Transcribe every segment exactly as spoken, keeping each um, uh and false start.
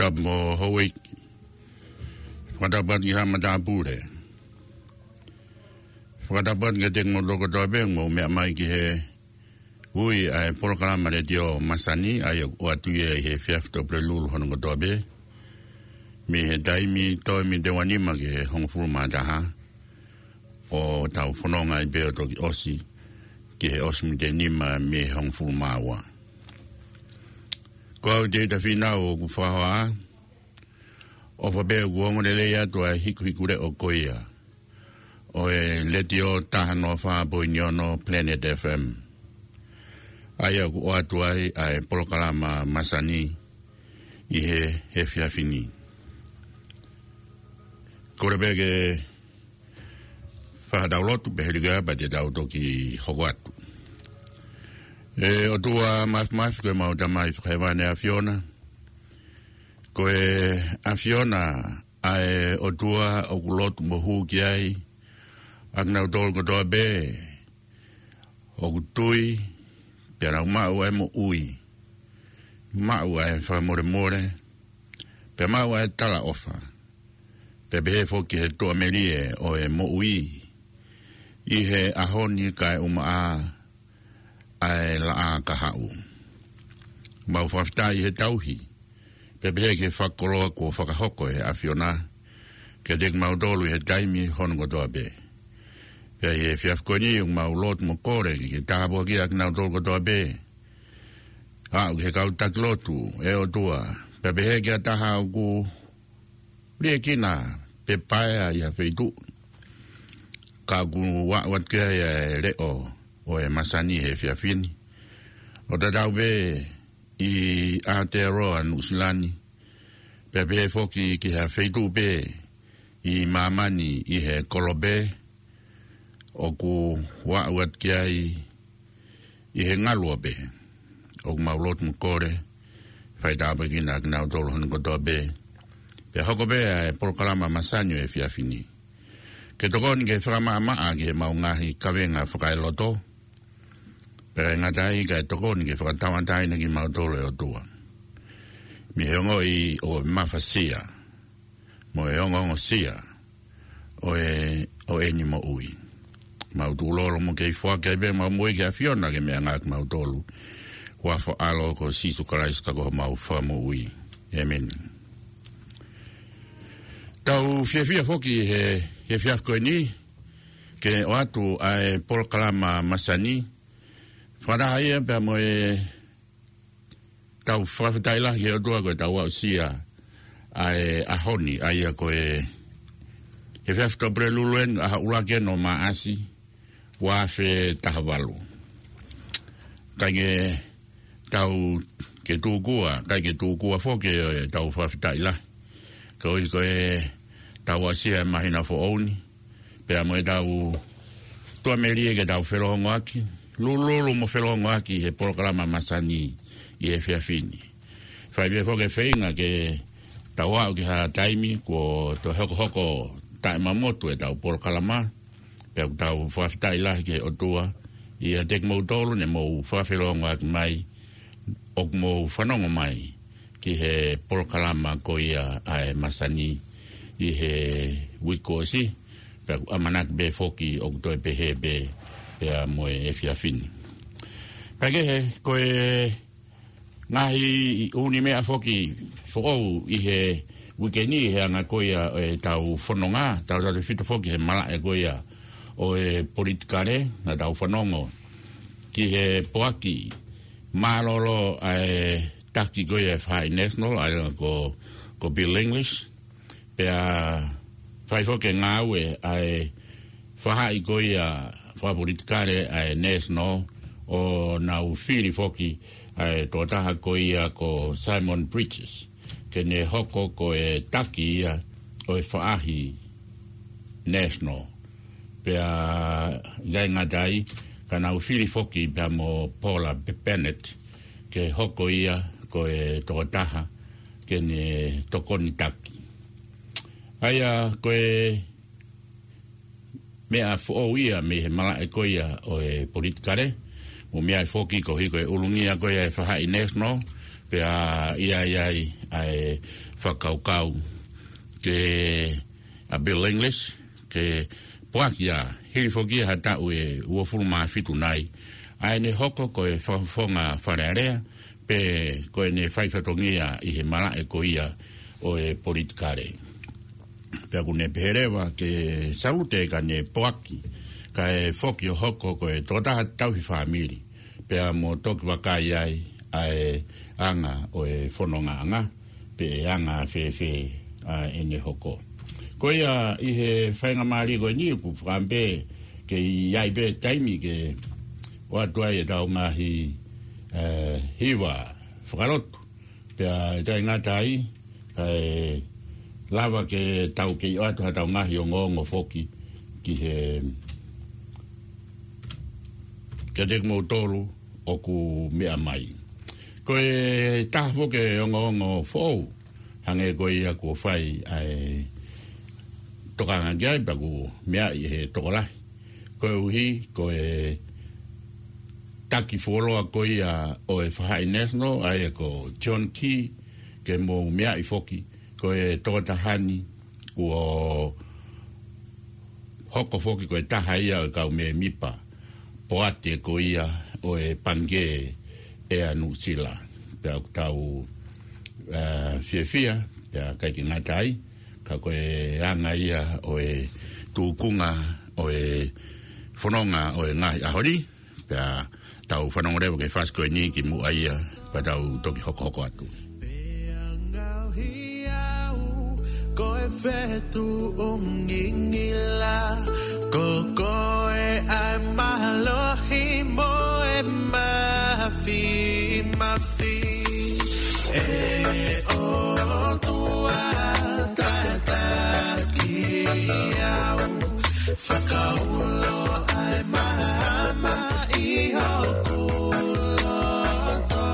Tapu mo Houʻeiki. Fakatapu atu ki he matāpule. Fakatapu atu kiate kimoutolu kotoa pē ʻoku mou meʻa mai ki he ui ʻa e polokalama letiō masani, ʻa ia ʻoku ʻoatu ia ʻi he efiafi Tuʻapulelulu hono kotoa pē, mei he taimi toe miniti ʻe uanima ki he hongofulu mā taha ʻo tau fononga ai pē ʻo toki ʻosi ki he ʻosi miniti ʻe nima mei he hongofulu mā ua. Ko au Tēvita Fīnau ʻoku fakahoa, ʻofa pē ʻoku ongo lelei atu ʻa e hikuhikuleʻo ko ia ʻo e letiō taha noa fā poini ono Planet F M, ʻa ia ʻoku ʻoatu ai ʻa e polokalama masani ʻi he, he efiafi ni. Kole pē ke fai haʻatau lotu pea hili ko ia pea te tau toki hoko atu. ʻE ʻOtua Māfimafi, ko ʻemau Tamai Fakahēvani ʻa e ʻAfiona, ko e ʻAfiona ʻa e ʻOtua ʻoku lotu mo hū ki ai ʻa kinautolu kotoa pē ʻoku tui, pea nau maʻu ʻa e moʻui, maʻu ʻa e fakamolemole, pea maʻu ʻa e talaʻofa, pea pehē foki ki he tuʻamelie ʻo e moʻui ʻi he ʻaho ni kae ʻumaʻā ʻa e laʻā kahaʻu. Mau fakafetaʻi he tauhi, pea pehē ki he fakakoloa kuo fakahoko ʻe he ʻAfiona kiate kimautolu ʻi he taimi hono kotoa pē. Pea ʻi he efiafi ko eni ʻoku mau lotu mo kole ke ke tāpuakiʻi ʻa kinautolu kotoa pē, aʻu ki he kau taki lotu, ʻe ʻOtua, pea pehē ki ha taha ʻoku liʻekina pe paea ʻi ha feituʻu, ka ʻoku aʻu atu ki ai ʻa e leʻo ʻo e masani he efiafi ni, ʻo tatau pē ʻi Aotearoa Nuʻusila ni, pea pehē foki ki ha feituʻu pē ʻi māmani ʻi he kolope ʻoku aʻu atu ki ai ʻi he ngaluope. ʻOku mau lotu mo kole, fai tāpuekina ʻa kinautolu hono kotoa pē, pea hoko pē ʻa e polokalama masani ʻo e efiafi ni ke tokoni ke fakamaʻamaʻa ki heʻemau ngaahi kavenga fakaeloto, pea ʻikai ngata ai kae tokoni ke fakatauʻatāina kimautolu ʻe ʻOtua mei he ongoʻi ʻo e mafasia mo e ongoongosia ʻo e, ʻo ʻeni moʻui. Mau tukulolo mo kei foaki ai pē ʻemau moʻui ki he ʻAfiona ke meʻangāueʻaki kimautolu. Huafa ʻo e ʻAlo ko Sīsū Kalaisi ka ko homau Fakamoʻui. ʻĒmeni. Tau fiefia foki he, he efiafi ko eni ke ʻoatu ʻa e polokalama masani fakataha ia pea mo e tau fakafetaʻi lahi ki he ʻOtua ko e tau aʻusia ʻa e ʻaho ni, ʻa ia ko e efiafi Tuʻapulelulu eni, ʻaho ʻuluaki eni ʻo Maʻasi, ua afe taha valu. ʻIkai ke tau ke tūkua, ʻikai ke tūkua foki ʻa e tau fakafetaʻi lahi, koeʻuhi ko e tau aʻusia e māhina foʻou ni, pea mo e tau tuʻamelie ke tau felōngoaki, lulululu mo felōngoaki he polokalama masani ʻi he efiafi ni. Fai pē foki e feinga ke tau aʻu ki ha taimi kuo toe hokohoko taʻemamotu e tau polokalama, pea ʻoku tau fakafetaʻi lahi ki he ʻOtua ʻiate kimoutolu ne mou fakafelōngoaki mai, ʻoku mou fanongo mai ki he polokalama ko ia ʻa e masani ʻi he uike kuo ʻosi, pea ʻoku ʻamanaki pē foki ʻoku toe pehē pē pea mo e efiafi ni. Kaikehe, ko e ngaahi ʻū meʻa foki foʻou ʻi he uike ni he anga ko ia ʻo e tau fononga, tautautefito foki he malaʻe ko ia ʻo e politikale, naʻa tau fanongo ki he poaki mālōlō ʻa e taki ko ia ʻa e Faʻahi National, ʻa ia ko, ko Bill English, pea fai foki e ngāue ʻa e faʻahi ko ia fakapolitikale ʻa e National, ʻo nau fili foki ʻa e tokotaha ko ia ko Simon Bridges ke ne hoko ko e taki ia ʻo e faʻahi National. Pea ʻikai ngata ai, ka nau fili foki pea mo Paula Bennett ke hoko ia ko e tokotaha ke ne tokoni taki. ʻA ia ko e meʻa foʻou ia mei he malaʻe ko ia ʻo e politikale, mo e meʻa foki koeʻuhi ko e ʻulungia ko ia e faʻahi National, Pea ʻi ai ʻa e fakakaukau ke ʻa Bill English, ke poaki ia, hili foki ia ha taʻu ʻe uofulu mā fitu nai, ʻa ʻene hoko ko e fakafofonga Fale Alea, pe ko ʻene fai fatongia ʻi he malaʻe ko ia ʻo e politikale. Pea ʻoku ne pehē leva ke salute ka ne poaki, kae foki ʻo hoko ko e tokotaha tauhi fāmili. Pea mo toki vakai ai ʻa e anga ʻo e fonongaʻanga, pe ʻe anga fēfē ʻa ʻene hoko. Ko ia ʻi he faingamālie ko eni ʻoku fakaʻamu pē ke ʻi ai pē taimi ke ʻoatu ai ʻetau ngaahi, ē, hiva fakalotu. Pea ʻe ʻikai ngata ai, kae lava ke tau kei ʻoatu haʻatau ngaahi ongoongo foki ki he, kiate kimoutolu ʻoku meʻa mai. Ko e taha foki e ongoongo foʻou, hangē ko ia kuo fai ʻa e tokanga ki ai pea ʻoku meaʻi ʻe he tokolahi. Koeʻuhi ko e taki fuoloa ko ia ʻo e Faʻahi National, ʻa ia ko John Key, ke mou meaʻi foki, ko e tokotaha ni kuo hoko foki ko e taha ia ʻo e kau mēmipa poate ko ia ʻo e Pangikē ʻa Nuʻusila. Pea ʻoku tau, ē, fiefia, pea ʻikai ke ngata ai, ka ko e anga ia ʻo e tūkunga ʻo e fononga ʻo e ngaahi ʻaho ni, pea tau fanongo leva ki he fasi ko eni kimuʻa ia, pea tau toki hokohoko atu. Pea ngaohi au ko e fetuʻu ngingila, ko koe ʻa e mālohi mo e mafimafi. ʻE ʻOtua tataki au, fakaulo ʻa e maama ʻi hoku loto.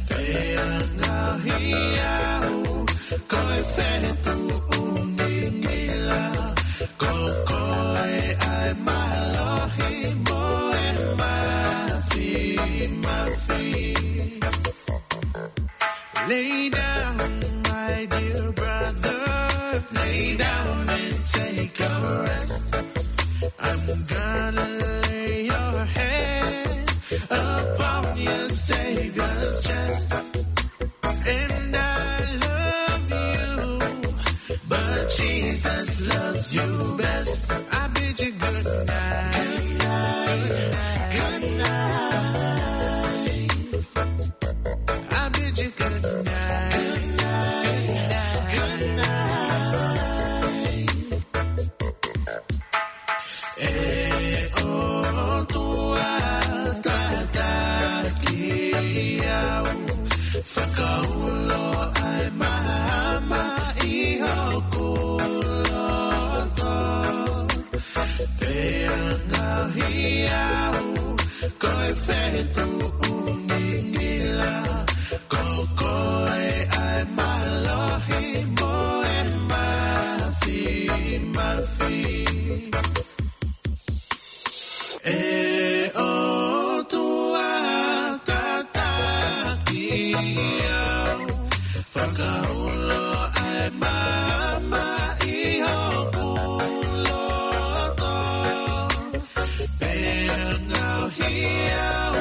Pea ngaohi au ko e fetuʻu ngingila, ko koe ʻa e mālohi mo e mafimafi. Lay down, my dear brother, lay down and take a rest. I'm gonna lay your head upon your Savior's chest. And I love you, but Jesus loves you best. I bid you good night. Good night. Good night. I bid you good night. Good night. Good night. ʻE ʻOtua tataki au, fakaulo ʻa e maama ʻi hoku loto. Pea ngaohi au ko e fetuʻu ngingila, ko koe ʻa e mālohi mo e mafimafi. ʻE ʻOtua tataki au, fakaulo ʻa e maama ʻi hoku loto. Pea ngaohi au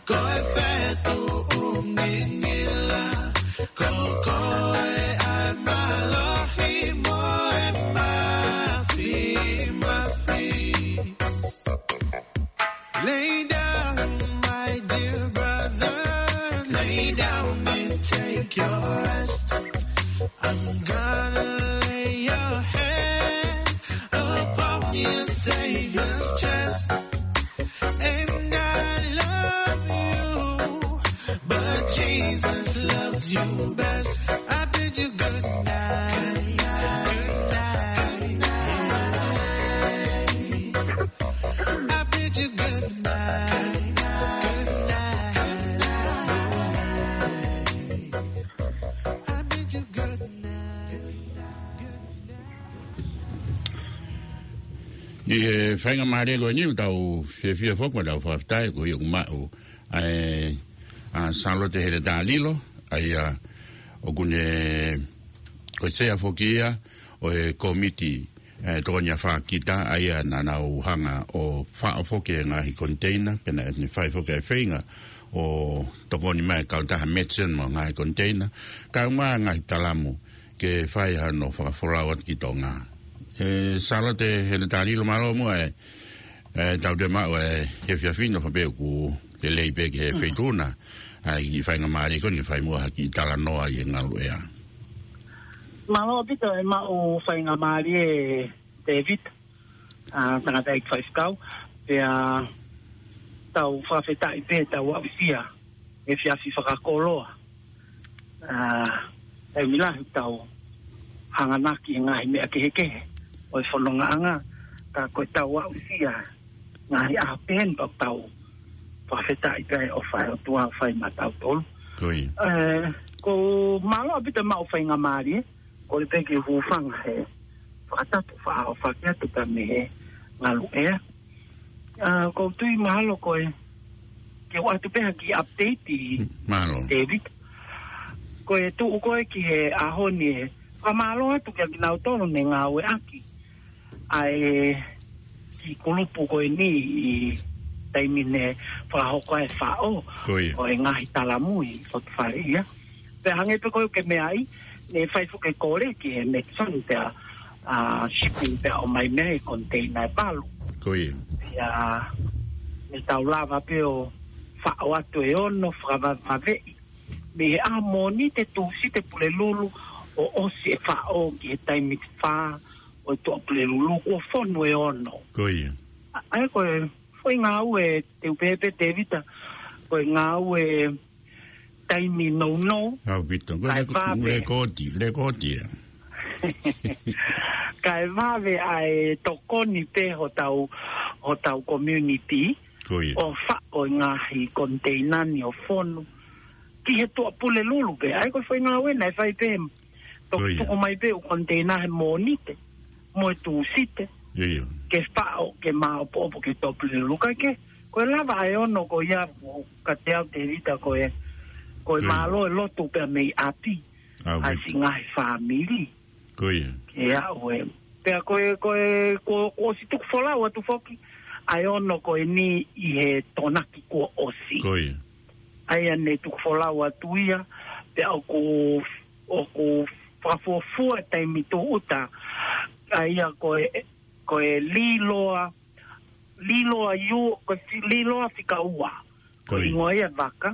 ko e fetuʻu ngingila, ko koe ʻa e mālohi mo e mafimafi. Lay down, my dear brother, lay down and take your rest. I'm gonna lay your head upon your Savior's chest. And I love you, but Jesus loves you best. I bid you good night. Good night. Good night. I bid you good night. Good night. I bid you good night. ʻI he faingamālie ko eni ʻoku tau fiefia foki mo tau fakafetaʻi ko ia ʻoku maʻu ʻa e ʻa Sālote Heletā Lilo, ʻa ia ʻoku ne ko e sea foki ia ʻo e kōmiti, ʻe, tokoni ʻa Fākita, ʻa ia naʻa nau hanga ʻo faʻo foki e ngaahi koniteina, pea naʻa ne fai foki e feinga ʻo tokoni mai e kautaha Matson mo e ngaahi koniteina, kae ʻumaʻā e ngaahi talamu ke fai hano fakafolau atu ki Tonga. ʻE, Sālote Heletā Lilo, mālō muʻa e, ʻe, tau toe maʻu e efiafi ni, ʻo fai pē ʻoku lelei pē ki he feituʻu na, ʻa e kiʻi faingamālie ko eni ke fai muʻa ha kiʻi talanoa ʻi he ngaluʻea. Mālō ʻaupito e maʻu faingamālie, Tēvita, ʻa, tangataʻeiki faifekau, pea tau fakafetaʻi pē tau aʻusia e efiafi fakakoloa. ʻA, taimi lahi tau hanganaki he ngaahi meʻa kehekehe ʻo e fonongaʻanga, ka ko e tau aʻusia ngaahi ʻaho pehē ni pea tau fakafetaʻi pē ʻo fai ʻOtua fai maʻatautolu. Ko ia. ʻE, ko mālō ʻaupito e maʻu faingamālie, ko e pē ke hūfanga he fakatapu fakaʻofoʻofa atu pē mei he ngaluʻea. ʻA, ʻoku ou tui mahalo ko e, ke u ʻoatu pē ha kiʻi update, Mālō. Tēvita. Ko e tuʻu ko ē ki he ʻaho ni ʻe fakamālō atu kia kinautolu ne ngāueʻaki ʻa e kiʻi kulupu ko eni ʻi he taimi ne fakahoko ai e faʻo Ko ia. ʻo e ngaahi talamu ʻi ʻOtu Fale ia. Pea hangē pē ko ē ʻoku ke meaʻi, ne fai foki e kole ki he Matson pea, ʻa, shipping pea ʻomai mei ai e koniteina ʻe valu. Ko ia. Pea ne tau lava pē ʻo faʻo atu e ono, fakavavaeʻi mei he ʻaho Mōnite, Tūsite, Pulelulu, ʻo ʻosi e faʻo ki he taimi fā ʻo e Tuʻapulelulu, kuo fonu e ono. Ko ia. ʻA, ʻa ia ko e foʻi ngāue, te u pehē pē, Tēvita, ko e ngāue taimi nounou. ʻAupito. Ko e Kae leko-, vave. lekooti, lekooti ia. Kae vave ʻa e tokoni pē hotau, hotau community. Ko ia. ʻO faʻo e ngaahi koniteina ni ʻo fonu ki he Tuʻapulelulu pē. ʻA ia ko e foʻi ngāue naʻe fai pē. Toki Ko ia. tuku mai pē ʻū koniteina he Mōnite mo e Tūsite. Ia. Ke faʻo, ke māopoopo ki he Tuʻapulelulu. Kae kehe, ko e lava ʻa e ono ko ia, ʻoku ʻikai te u, Tēvita, ko e, ko e Ko ia. mālō e lotu pea mei ʻapi. ʻA, ʻa e siʻi ngaahi fāmili. Ko ia. Ke aʻu e. Pea ko e, ko e, ko, kuo ʻosi tuku folau atu foki ʻa e ono ko eni ʻi he Tokonaki kuo ʻosi. Ko ia. ʻA ia ne tuku folau atu ia, pea ʻoku, ʻoku fakafuofua taimi tūʻuta, ʻa ia ko e, ko e Līloa, Līloa Iu, ko e fi-, Līloa Fika Ua. Ko Ko ia. hingoa ia e vaka.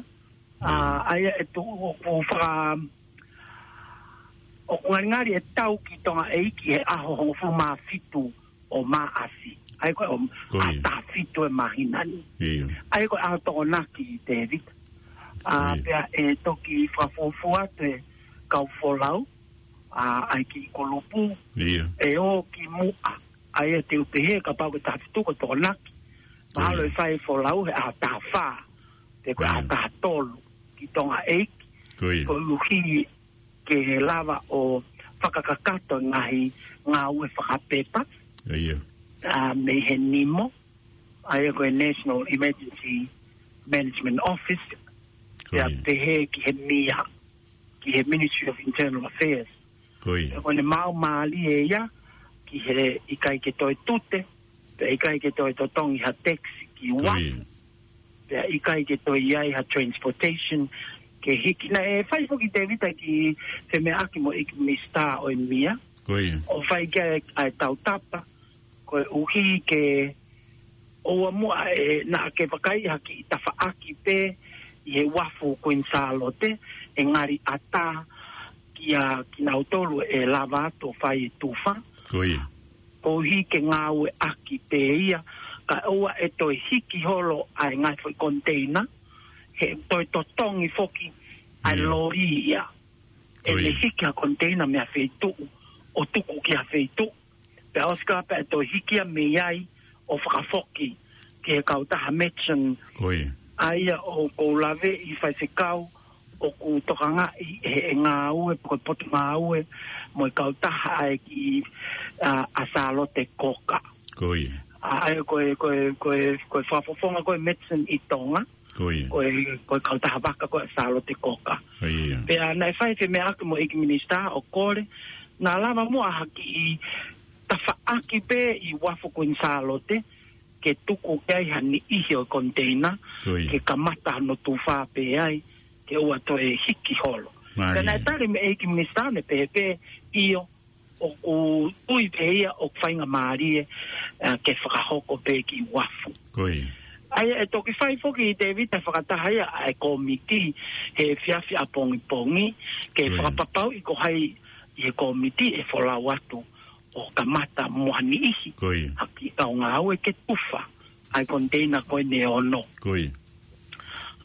ʻA, ʻa ia ʻe tuʻu ʻoku faka-, ʻoku ngalingali ʻe tau ki Tonga ʻEiki he ʻaho hongofulu mā fitu ʻo Maʻasi. ʻA ia ko e ʻaho Ko ia. taha fitu e māhina ni. Ia. ʻA ia ko e ʻaho Tokonaki, Tēvita. ʻA, Ia. pea ʻe toki fakafuofua atu e kau folau, ʻa, ʻa e kiʻi kulupu. Ia. ʻE ō ki muʻa. ʻA ia te u pehē kapau ko e taha fitu ko e Tokonaki. Mahalo Ia. ʻe fai folau he ʻaho taha fā. Pe ko e ʻaho Ia. taha tolu ki Tonga ʻEiki. Ko ia. Koeʻuhi ke lava ʻo fakakakato e ngaahi ngāue fakapepa. Ia. ʻA, mei he NEMO. ʻA ia ko e National Emergency Management Office. Ko Pea ia. pehē ki he mia, ki he Ministry of Internal Affairs. Ko ia. Pea ko ʻene maau mālie ia, ki he ʻikai ke toe tute, pea ʻikai ke toe totongi ha taxi ki Ko Ua. ia. Pea ʻikai ke toe ʻi ai ha transportation, ke hiki. Naʻe fai foki Tēvita ki he meʻaki mo e ʻEiki Minisitā ʻo e mia. Ko ia. ʻO fai ki ai ʻa e tautapa, koeʻuhi ke ʻoua muʻa ʻe naʻa ke vakai ha kiʻi tafaʻaki pē ʻi he uafu Kuini Sālote ʻe ngali ʻatā kia kinautolu ʻe lava atu ʻo fai e tufa. Ko ia. Koeʻuhi ke ngāueʻaki pē ia, kae ʻoua ʻe toe hiki holo ʻa e ngaahi foʻi koniteina, he toe totongi foki ʻa e Ia. loli ia. Ko ʻEne ia. hiki ha koniteina mei ha feituʻu, ʻo tuku ki ha feituʻu. Pea ʻosi ka pea ʻe toe hiki ia mei ai ʻo fakafoki ki he kautaha Matson. Ko ia. ʻA ia ʻoku ou laveʻi faifekau, ʻoku tokangaʻi ʻe he ngāue, pe ko e potungāue, mo e kautaha ʻa e kiʻi, ʻa, ʻa Sālote Koka. Ko ia. ʻA, ʻa ia ko e, ko e, ko e, ko e fakafofonga ko e medicine ʻi Tonga. Ko ia. Ko e, ko e kautaha vaka ko e Sālote Koka. Ko ia. Pea naʻe fai femeʻaʻaki mo e ʻEiki Minisitā ʻo kole, naʻa lava muʻa ha kiʻi tafaʻaki pē ʻi uafu Kuini Sālote, ke tuku ki ai ha niʻihi ʻo e koniteina, Ko ia. ke kamata hono tufa pē ai, ke ʻoua toe hiki holo. Mālie. Pea naʻe tali mei he ʻEiki Minisitā naʻe pehē pē, ʻio, ʻoku tui pē ia ʻoku faingamālie, ē, ke fakahoko pē ki uafu. Ko ia. ʻA ia ʻe toki fai foki Tēvita fakataha ia ʻa e kōmiti he efiafi ʻapongipongi, ke Ko ia. fakapapauʻi ko hai ʻi he kōmiti ʻe folau atu ʻo kamata mo ha niʻihi. Ko ia. Ha kiʻi kau ngāue ke tufa ʻa e koniteina ko eni ʻe ono. Ko ia.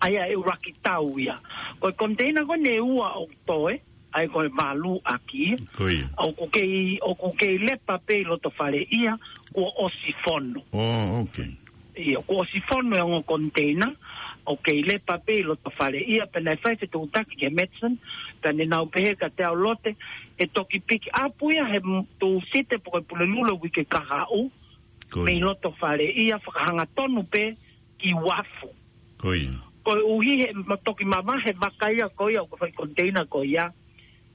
ʻA ia ʻe ʻuluaki tau ia. Ko e koniteina ko eni ʻe ua ʻoku toe, ʻa ia ko e valu ʻaki ia. Ko ia. ʻOku kei, ʻoku kei lepa pē ʻi loto fale ia, kuo ʻosi fono. Oh, okay. ʻIo, kuo ʻosi fono e ongo koniteina, ʻoku kei lepa pē ʻi loto fale ia, pea naʻe fai fetuʻutaki ki he medicine, pea naʻa nau pehē kiate au, Lote, ʻe toki pick up ia he m-, Tūsite pe ko e Pulelulu uike kahaʻu, Ko ia. mei loto fale ia fakahangatonu pē ki uafu. Ko ia. Koeʻuhi he ma-, toki mavahe vaka ia ko ia ʻoku fai koniteina ko ia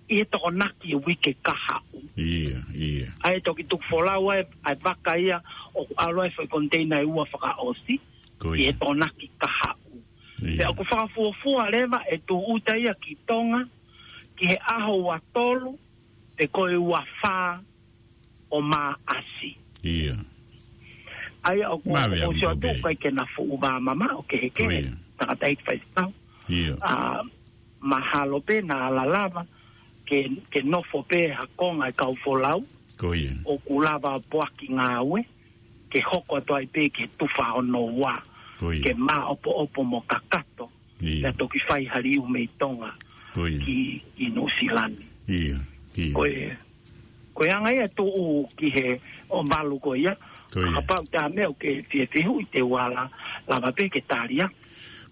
ʻi he Tokonaki uike kahaʻu. Ia, ia. ʻA ia toki tuku folau ai ʻa e vaka ia ʻoku ʻalu ai foʻi koniteina ʻe ua fakaʻosi Ko ʻi ia. he Tokonaki kahaʻu. Ia. Pea ʻoku fakafuofua leva ʻe tūʻuta ia ki Tonga ki he ʻaho ua tolu pe ko e ua fā ʻo Maʻasi. Ia. ʻA ia ʻoku, Mave ʻoku ʻamu sio ko atu pē. kai ke na fuʻu vā mama ʻo kehekehe. Ko ia. Tangataʻeiki faifekau. Ia. ʻA, mahalo pē naʻa lalava ke, ke nofo pē ha konga e kau folau. Ko ia. ʻOku lava poaki ngāue ke hoko atu ai pē ke tufa hono ua. Ko ia. Ke māʻopoʻopo mo kakato. Ia. Pea toki fai ha liu mei Tonga Ko ia. ki, ki Nuʻusila ni. Ia, ia. Ko e, ko e anga ia tuʻu ki he ʻo valu ko ia. Ko ia. Kapau te ʻa meʻa ʻoku ke fie fehuʻi te u ala lava pē ke tali ia.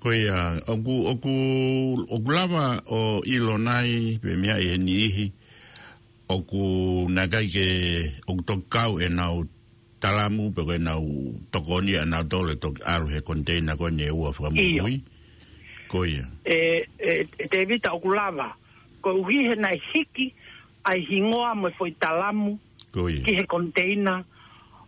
Ko ia, ʻoku, ʻoku, ʻoku lava ʻo ʻilo nai, pe meʻa ʻi he niʻihi, ʻoku naʻe ʻikai ke, ʻoku toki kau ʻenau talamu, pe ko ʻenau tokoni ʻanautolu ʻe toki ʻalu he koniteina ko eni ʻe ua fakamuimui. ʻIo. Ko ia. ʻE, ʻe, ʻe Tēvita ʻoku lava. Koeʻuhi he naʻe hiki ʻa e hingoa mo e foʻi talamu Ko ia. ki he koniteina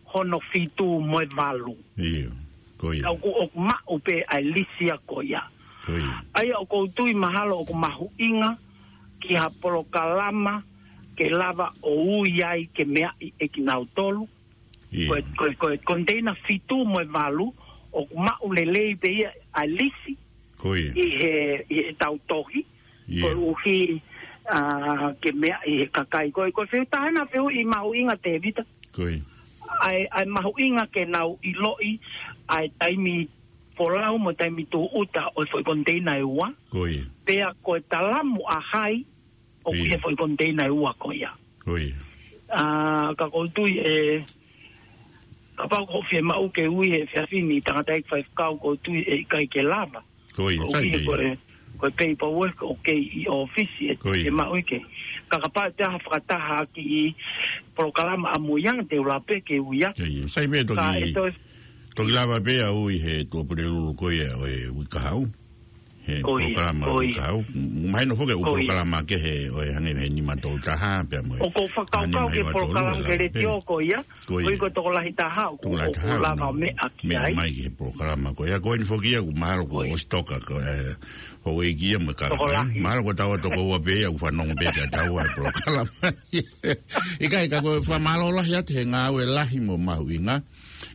hono fitu mo e valu. ʻIo. Ko ia. Ka ʻoku, ʻoku maʻu pē ʻa e lisi ia ko ia. Ko ia. ʻA ia ʻoku ou tui mahalo ʻoku mahuʻinga ki ha polokalama ke lava ʻo ui ai ke meaʻi ʻe kinautolu. ʻIo. Ko e, ko e, ko e koniteina fitu mo e valu, ʻoku maʻu lelei pē ia ʻa e lisi Ko ia. ʻi he, ʻi he tau tohi, ʻIo. koeʻuhi, ʻa, ke meaʻi ʻe he kakai. Ko e, ko e fehuʻi taha ena fehuʻi mahuʻinga Tēvita. Ko ia. ʻA e, ʻa e mahuʻinga ke nau ʻiloʻi, ʻa e taimi folau mo e taimi tūʻuta ʻo e foʻi koniteina ʻe ua. Ko ia. Pea ko e talamu ʻa hai, ʻoku ʻIo. ʻi he foʻi koniteina ʻe ua ko ia. Ko ia. ʻA, ka ʻoku ou tui ʻe, kapau ʻoku fiemaʻu ke ui he efiafi ni tangataʻeiki faifekau ʻoku ou tui ʻe ʻikai ke lava. Ko ia, Ko sai ia pē. ko e, ko e paperwork ʻoku kei ʻi ʻōfisi ʻe, Ko ia. ʻe maʻu ʻi he. Ka kapau te ʻi ai ha fakataha ki he polokalama ʻamuianga te u lava pē ke ui ia. Ko ia, sai pē Ka toki, ʻe toe toki lava pē ʻa e ui he Tuʻapulelulu ko ia ʻo e uike kahaʻu. He Ko ia, polokalama ko ia. kahaʻu. M-, mahino foki ʻoku Ko ia. polokalama kehe ʻo e hangē he nima tolu taha, pea mo e ʻOku ou fakakaukau hangē he mai ua tolu, polokalama ʻe ke lava pē. letiō ko ia. Ko ia. Ko ia ko e tokolahi taha, ʻoku, Tokolahi ʻoku taha, lava ʻo meʻa ki meʻa ai. mai ki he polokalama ko ia. Ko eni foki ia, ʻoku mahalo ko Ko ia. ʻosi toka ko, ē, houʻeiki ia mo e kakai. Tokolahi. Mahalo ko taua toko ua pē ia, ʻoku fanongo pē kia taua he polokalama. ʻIkai, ka ko e fakamālō lahi atu he ngāue lahi mo mahuʻinga.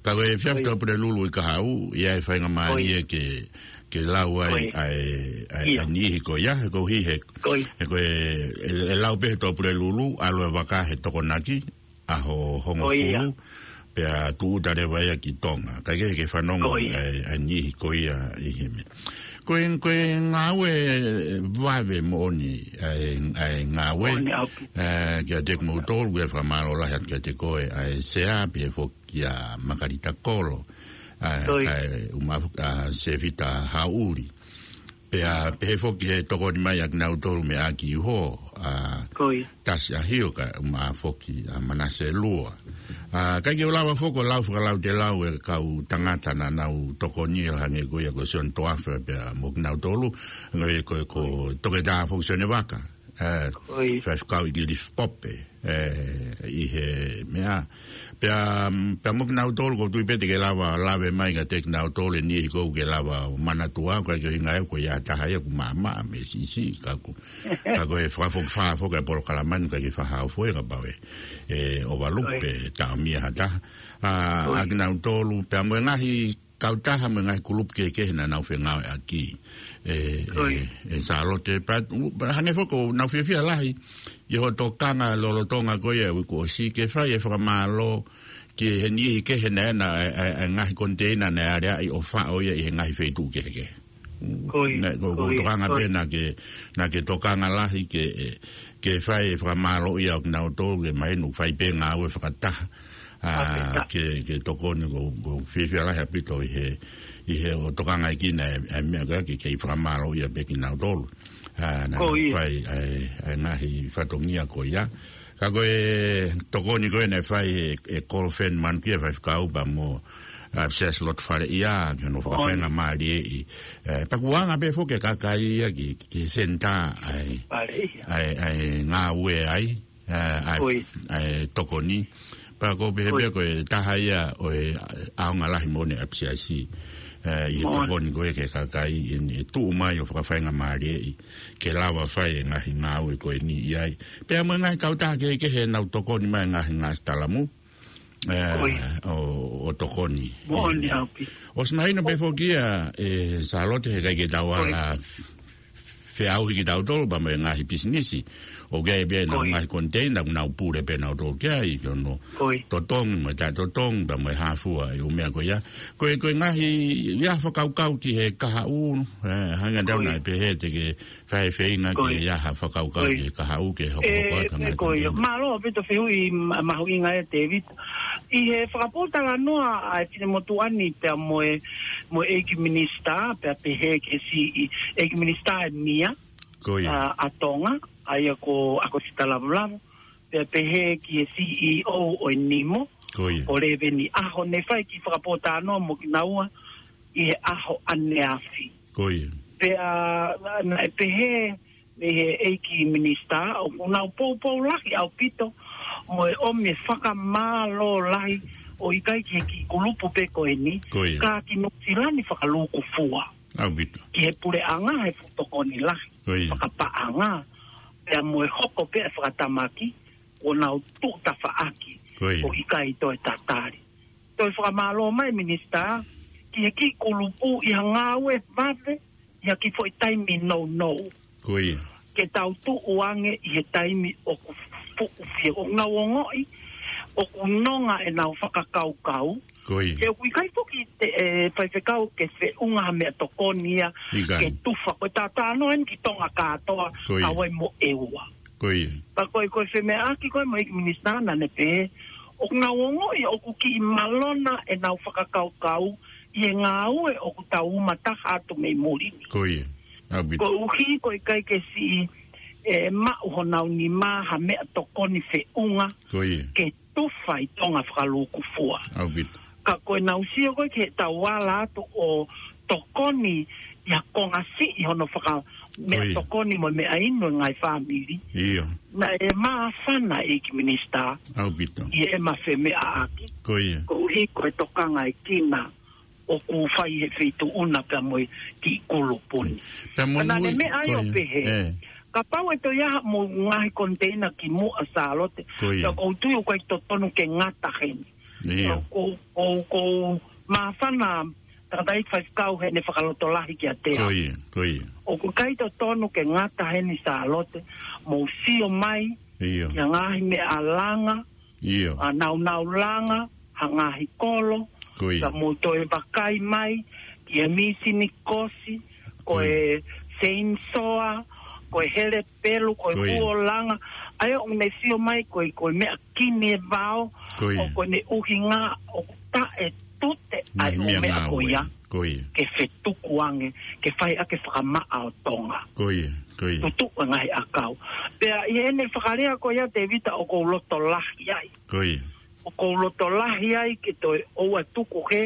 Ka ko e efiafi Ko ia. Tuʻapulelulu uike kahaʻu, ʻi ai e faingamālie Ko ia. ke, ke lau ai Ko ia. ʻa e, ʻa e, ʻIo. ʻa e niʻihi ko ia, he koeʻuhi he, Ko ia. he ko e, ʻe, ʻe lau pē he Tuʻapulelulu, ʻalu e vaka he Tokonaki, ʻaho hongofulu, Ko ia. pea tūʻuta leva ia ki Tonga. Kae kehe ke fanongo Ko ia. ʻa e, ʻa e niʻihi ko ia ʻi he meʻa. Ko e, ko e ngāue vave moʻoni, ʻa e, ʻa e ngāue, Moʻoni ʻaupito. ʻa, kiate kimoutolu, ʻoku ou fakamālō lahi atu kiate koe, ʻa e Sea, pehē foki kia Makalita Kolo, ʻa, Ko ia. kae ʻumaʻā foki ʻa Sevita Hauli. Pea pehē foki he tokoni mai ʻa kinautolu mei ʻAki Uho, ʻa Tasi ʻa Hioka, ʻumaʻā foki ʻa Manase Lua. ʻA, ʻikai ke u lava foki ʻo lau fakalautelau e kau tangata naʻa nau tokoni ʻo hangē ko ia ko Sione Toafa pea mo kinautolu, hangē ko, ko Toketā foki Sione Vaka. ʻA, faifekau ʻIkilifi Pope, ʻe, ʻi he meʻa. Pea, pea mo kinautolu ʻoku ou tui pē te ke lava, lave mai kiate kinautolu e niʻihi ʻoku ke lava ʻo manatua, ʻikai ke ʻuhinga ʻe au ko ia taha ia ʻoku maʻamaʻa mei he siʻisiʻi, ka ko, ka ko e fakafokifā foki e polokalama ni ʻikai ke fakahā foki kapau ʻe, ʻe overlook pe taʻomia ha taha. ʻA, ʻa kinautolu, pea mo e ngaahi kautaha mo e ngaahi kulupu kehekehe naʻa nau fengāueʻaki. ʻE, ʻe, ʻe Sālote, pea, u, pea hangē foki ʻoku nau fiefia lahi ʻi hoʻo tokanga lolotonga ko ia ʻo e uike kuo ʻosi ke fai e fakamālō ki he niʻihi kehe naʻe, naʻe, ʻe, ʻe ngaahi koniteina naʻe aleaʻi ʻo faʻo ia ʻi he ngaahi feituʻu kehekehe. Naʻe, ko, ko e tokanga pē naʻa ke, naʻa ke tokanga lahi ke, ʻe, ke fai e fakamālō ia ʻo kinautolu ke mahino fai pē ngāue fakataha. ʻA, ke, ke tokoni ʻoku, ʻoku fiefia lahi ʻaupito ʻi he, ʻi he ʻo tokanga ʻi kina e, e meʻa ko ia ke, ke fakamālō ia pē kinautolu. ʻA, naʻa nau fai, ʻa e, ʻa e ngaahi fatongia ko ia. Ka ko e tokoni ko ē naʻe fai ʻe, ʻe Kolofeni Manukia faifekau pea mo, ʻa, Siaosi Lotofaleʻia, ki hono fakafaingamālieʻi. ʻE, pea kuo anga pē foki e kakai ia ki, ki he senitā ʻa e, ʻa e, ʻa e ngāue ai. ʻA, ʻa e, ʻa e tokoni. Pea ʻoku ou pehē pē ko e taha ia ʻo e ʻaonga lahi moʻoni ʻa e ʻapisiasi. ʻA, ʻi he tokoni ko ē ki he kakai ʻi heʻene tuʻu mai ʻo fakafaingamālieʻi ke lava fai e ngaahi ngāue ko eni ʻi ai. Pea mo e ngaahi kautaha kehekehe naʻa nau tokoni mai ngaahi ngaahi talamu. ʻA, ʻo, ʻo tokoni. ʻOsi mahino pē foki ia, ʻe Sālote, he ʻikai ke tau ala feʻauhi kitautolu pea mo e ngaahi pisinisi. ʻOku ʻi ai pē ʻenau ngaahi koniteina, ʻoku nau pule pē nautolu ki ai, ki hono totongi mo e taʻetotongi, pea mo e hā fua e ʻū meʻa ko ia. Ko e, ko e ngaahi, ʻi ai ha fakakaukau ki he kahaʻu, ʻe, hangē ko ʻetau naʻe pehē te ke fai e feinga ki ai ha fakakaukau ki he kahaʻu ke hokohoko atu ha ngaahi koniteina. Mālō ʻaupito fehuʻi ma-, mahuʻinga ē Tēvita. ʻI he fakapōtalanoa ʻa e finemotuʻa ni pea mo e, mo e ʻEiki Minisitā, pea pehē ki he siʻi ʻEiki Minisitā ʻe Mia, ʻa, ʻa Tonga, ʻa ia ko ʻAkosita Lavulavu, pea pehē ki he C E O ʻo e Nimo, ko Leveni ʻAho, ne fai e kiʻi fakapōtalanoa mo kinaua ʻi he ʻaho ʻaneafi. Pea, naʻe pehē mei he ʻEiki Minisitā, ʻoku nau poupou lahi ʻaupito, mo e ʻomi e fakamālō lahi, ʻo ʻikai ki he kiʻi kulupu pē ko eni, ka ki Nuʻusila ni fakalūkufua. Ki he puleʻanga he fuʻu tokoni lahi, fakapaʻanga, pea mo e hoko pē e fakatamaki, ʻo nau tuʻu tafaʻaki, ʻo ʻikai toe tatali. Toe fakamālō mai Minisitā, ki he kiʻi kulupu ʻi ha ngāue vave, ʻi ha kiʻi foʻi taimi nounou. Ke tau tuʻu ange ʻi he taimi ʻoku fuʻu fie, ʻoku nau ongoʻi, ʻoku nonga ʻenau fakakaukau. He ʻoku ʻikai foki te, ʻe, faifekau ke feʻunga ha meʻatokoni ia, ke tufa. Ko e talanoa eni ki Tonga kātoa, Hawaii mo ʻEua. Ka ko e, ko e femeʻaʻaki ko ē mo e ʻEiki Minisitā naʻa ne pehē, ʻoku nau ongoʻi, ʻoku kiʻi malona ʻenau fakakaukau, ʻi he ngāue ʻoku tau uma taha atu mei muli ni. Koeʻuhi, ko e ʻikai ke siʻi, ʻe, maʻu honau nima ha meʻatokoni feʻunga, ke tufa ʻi Tonga fakalūkufua. Ka ko ʻenau sio ko ē ki heʻetau ala atu ʻo tokoni ʻi ha konga siʻi hono faka-, meʻatokoni mo e meʻainu e ngaahi fāmili. Naʻe māfana e ʻEiki Minisitā ʻi heʻema femeʻaʻaki. Koeʻuhi ko e tokanga ʻi kina ʻoku fai he feituʻu na pea mo e kiʻi kulupu ni. Pea mo e meʻa ia ʻo pehē. Kapau ʻe toe ʻi ai haʻamou ngaahi koniteina ki muʻa Sālote. Pea ʻoku ou tui ʻoku ʻikai totonu ke ngata heni. ʻOku ou, ʻoku ou māfana tangataʻeiki faifekau heʻene fakalotolahi kiate au. ʻOku ʻikai totonu ke ngata heni Sālote, mou sio mai, ki ha ngaahi meʻa langa, ʻa, naunau langa, ha ngaahi kolo, ka mou toe vakai mai, ki he mīsini kosi, ko e seinsoa, ko e hele pelu, ko e kuo langa. ʻA ia ʻoku ne sio mai, ko e, ko e meʻa kini e vao, ʻoku ne ʻuhinga, ʻoku taʻe tute ʻa e meʻa ko ia. Ko ia. Ke fetuku ange, ke fai ʻaki e fakamaʻa ʻo Tonga. Ko ia, ko ia. Tutuʻu e ngaahi ʻakau. Pea ʻi heʻene fakalea ko ia Tevita ʻoku ou loto lahi ai. Ko ia. ʻOku ou loto lahi ai ke toe ʻoua tuku ke,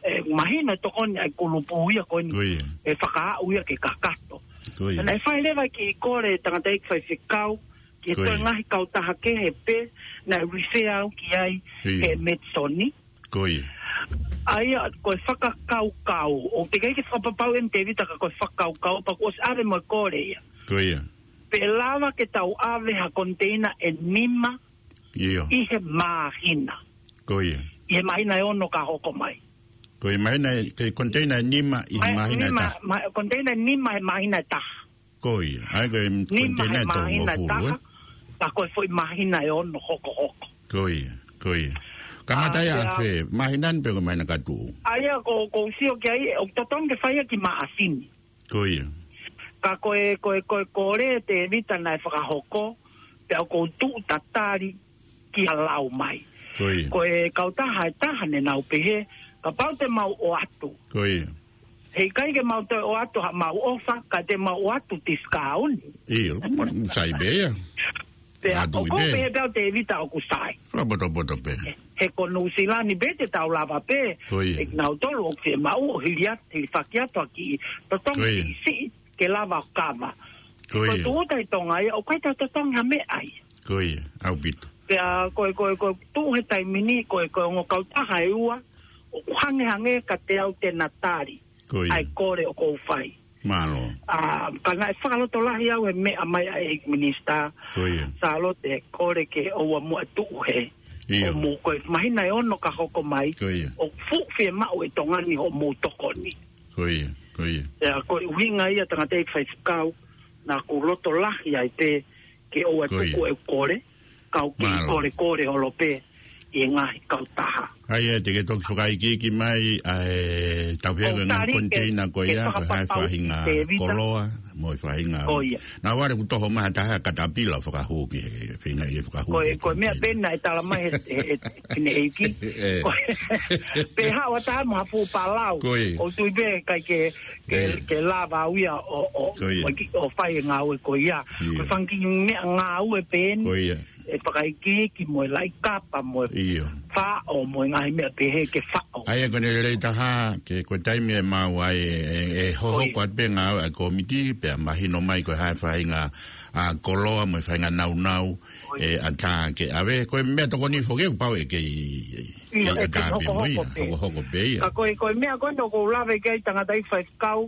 e, mahino tokoni ʻa e kulupu ia ko eni. Ko ia. E fakaaʻu ia ke kakato. Ko ia. Naʻe fai leva e kiʻi kole tangataʻeiki faifekau, ke Ko ia. toe ngaahi kautaha kehe pē, naʻe refer au ki ai Ia. he Medisoni. Ko ia. ʻA ia, ko e fakakaukau, ʻoku teʻeki ke fakapapauʻi eni Tevita ka ko e fakakaukau, pea kuo ʻosi ʻave mo e kole ia. Ko ia. Pe lava ke tau ʻave ha koniteina ʻe nima ʻIo. ʻi he māhina. Ko ia. ʻI he māhina ʻe ono ka hoko mai. Ko ia māhina, ke koniteina ʻe nima ʻi he Ma-, māhina ʻe nima, taha. ma-, koniteina ʻe nima he māhina ʻe taha. Ko ia. ʻA ia ko e Nima koniteina he ʻe toko māhina ʻe hongofulu, taha, ē? ka ko e foʻi māhina ʻe ono hokohoko. Ko ia, ko ia. Kamata ʻa ia ʻa ia fē, māhina ni pe ko e māhina ka tuʻu? ʻA ia ko, ʻoku ou sio ki ai, ʻoku totonu ke fai ia ki Maʻasini. Ko ia. Ka ko e, ko e, ko e kole Tevita naʻe fakahoko, pea ʻoku ou tuʻu tatali kia lau mai. Ko ia. Ko e kautaha ʻe taha ne nau pehē, kapau te mau ʻoatu. Ko ia. He ʻikai ke mau toe ʻoatu haʻamau ʻofa, ka te mau ʻoatu tiskauni. ʻIo, ma-, sai pē ia. Pea ʻOku ʻoku pē. pehē pē ʻa Tevita ʻoku sai. Ka potopoto pē. He ko Nuʻusila ni pē te tau lava pē. Ko ia. ʻE kinautolu ʻoku fiemaʻu ʻo hili atu, hilifaki atu ʻa e kiʻi totongi Ko ia. siʻisiʻi ke lava ʻo kava. Ko Ko e ia. tūʻuta ʻi Tonga ia, ʻoku ʻikai te tau totongi ha meʻa ia. Ko ia, ʻaupito. Pea ko e, ko e, ko e tuʻu he taimi ni, ko e, ko e ongo kautaha ʻe ua, ʻoku hangehangē kiate au te na tali Ko ia. ʻa e kole ʻoku ou fai. Mālō. ʻA, ka naʻe fakalotolahi au he meʻa mai ʻa e ʻEiki Minisitā. Ko ia. Sālote, kole ke ʻoua muʻa tuʻu he. ʻIo. ʻO mou ko e māhina ʻe ono ka hoko mai. Ko ia. ʻOku fuʻu fiemaʻu ʻe Tonga ni hoʻomou tokoni. Ko ia, ko ia. Pea ko e ʻuhinga ia tangataʻeiki faifekau, naʻa ku loto lahi ai pē ke ʻoua Ko ia. tuku e kole, kau ke Mālō. kole kole holo pē ʻi he ngaahi kautaha. ʻA ia, te ke toki fakaikiiki mai, ʻa e tau pehē ʻOku ngaahi tali ke, koniteina ko ke ia, ko e hā e fakapapauʻi faʻahinga Tevita. koloa, mo e faʻahinga. Ko ia. Naʻa ku ʻalu ʻo toho mai ha taha katapila fakahū ki he, he faʻahinga ʻi he fakahū Ko e, ki he ko e meʻa koniteina. pē naʻe tala mai he, he, he, ki he ʻEiki. ʻE. Ko e, pehē ʻoua taha mo ha fuʻu palau. Ko ia. ʻOku ou tui pē ʻikai ke, ke, ʻE. ke lava au ia ʻo, ʻo, Ko ia. ʻo ki-, ʻo fai e ngāue ko ia. ʻIo. Ko e fanga kiʻi meʻa ngāue pē eni. Ko ia. ʻE fakaikiiki mo e laʻi kapa mo e ʻIo. faʻo mo e ngaahi meʻa pehē ke faʻo. ʻA ia ko ʻene lelei taha, ke ko e taimi ʻe maʻu ai, ʻe, ʻe, ʻe hohoko Ko ia. atu pē ngāue ʻa e kōmiti, pea mahino mai ko e hā e faʻahinga, ʻa, koloa mo e faʻahinga nāunau, Ko ia. ʻe, ʻatā ke ʻave, ko e meʻa tokoni foki ʻoku pau ʻe kei, ʻIo, ʻe ʻe kei ʻatā pē mo ia, hokohoko pē. hokohoko pē ia. Ka ko e, ko e meʻa ko ē ʻoku ou lave ki ai tangataʻeiki faifekau,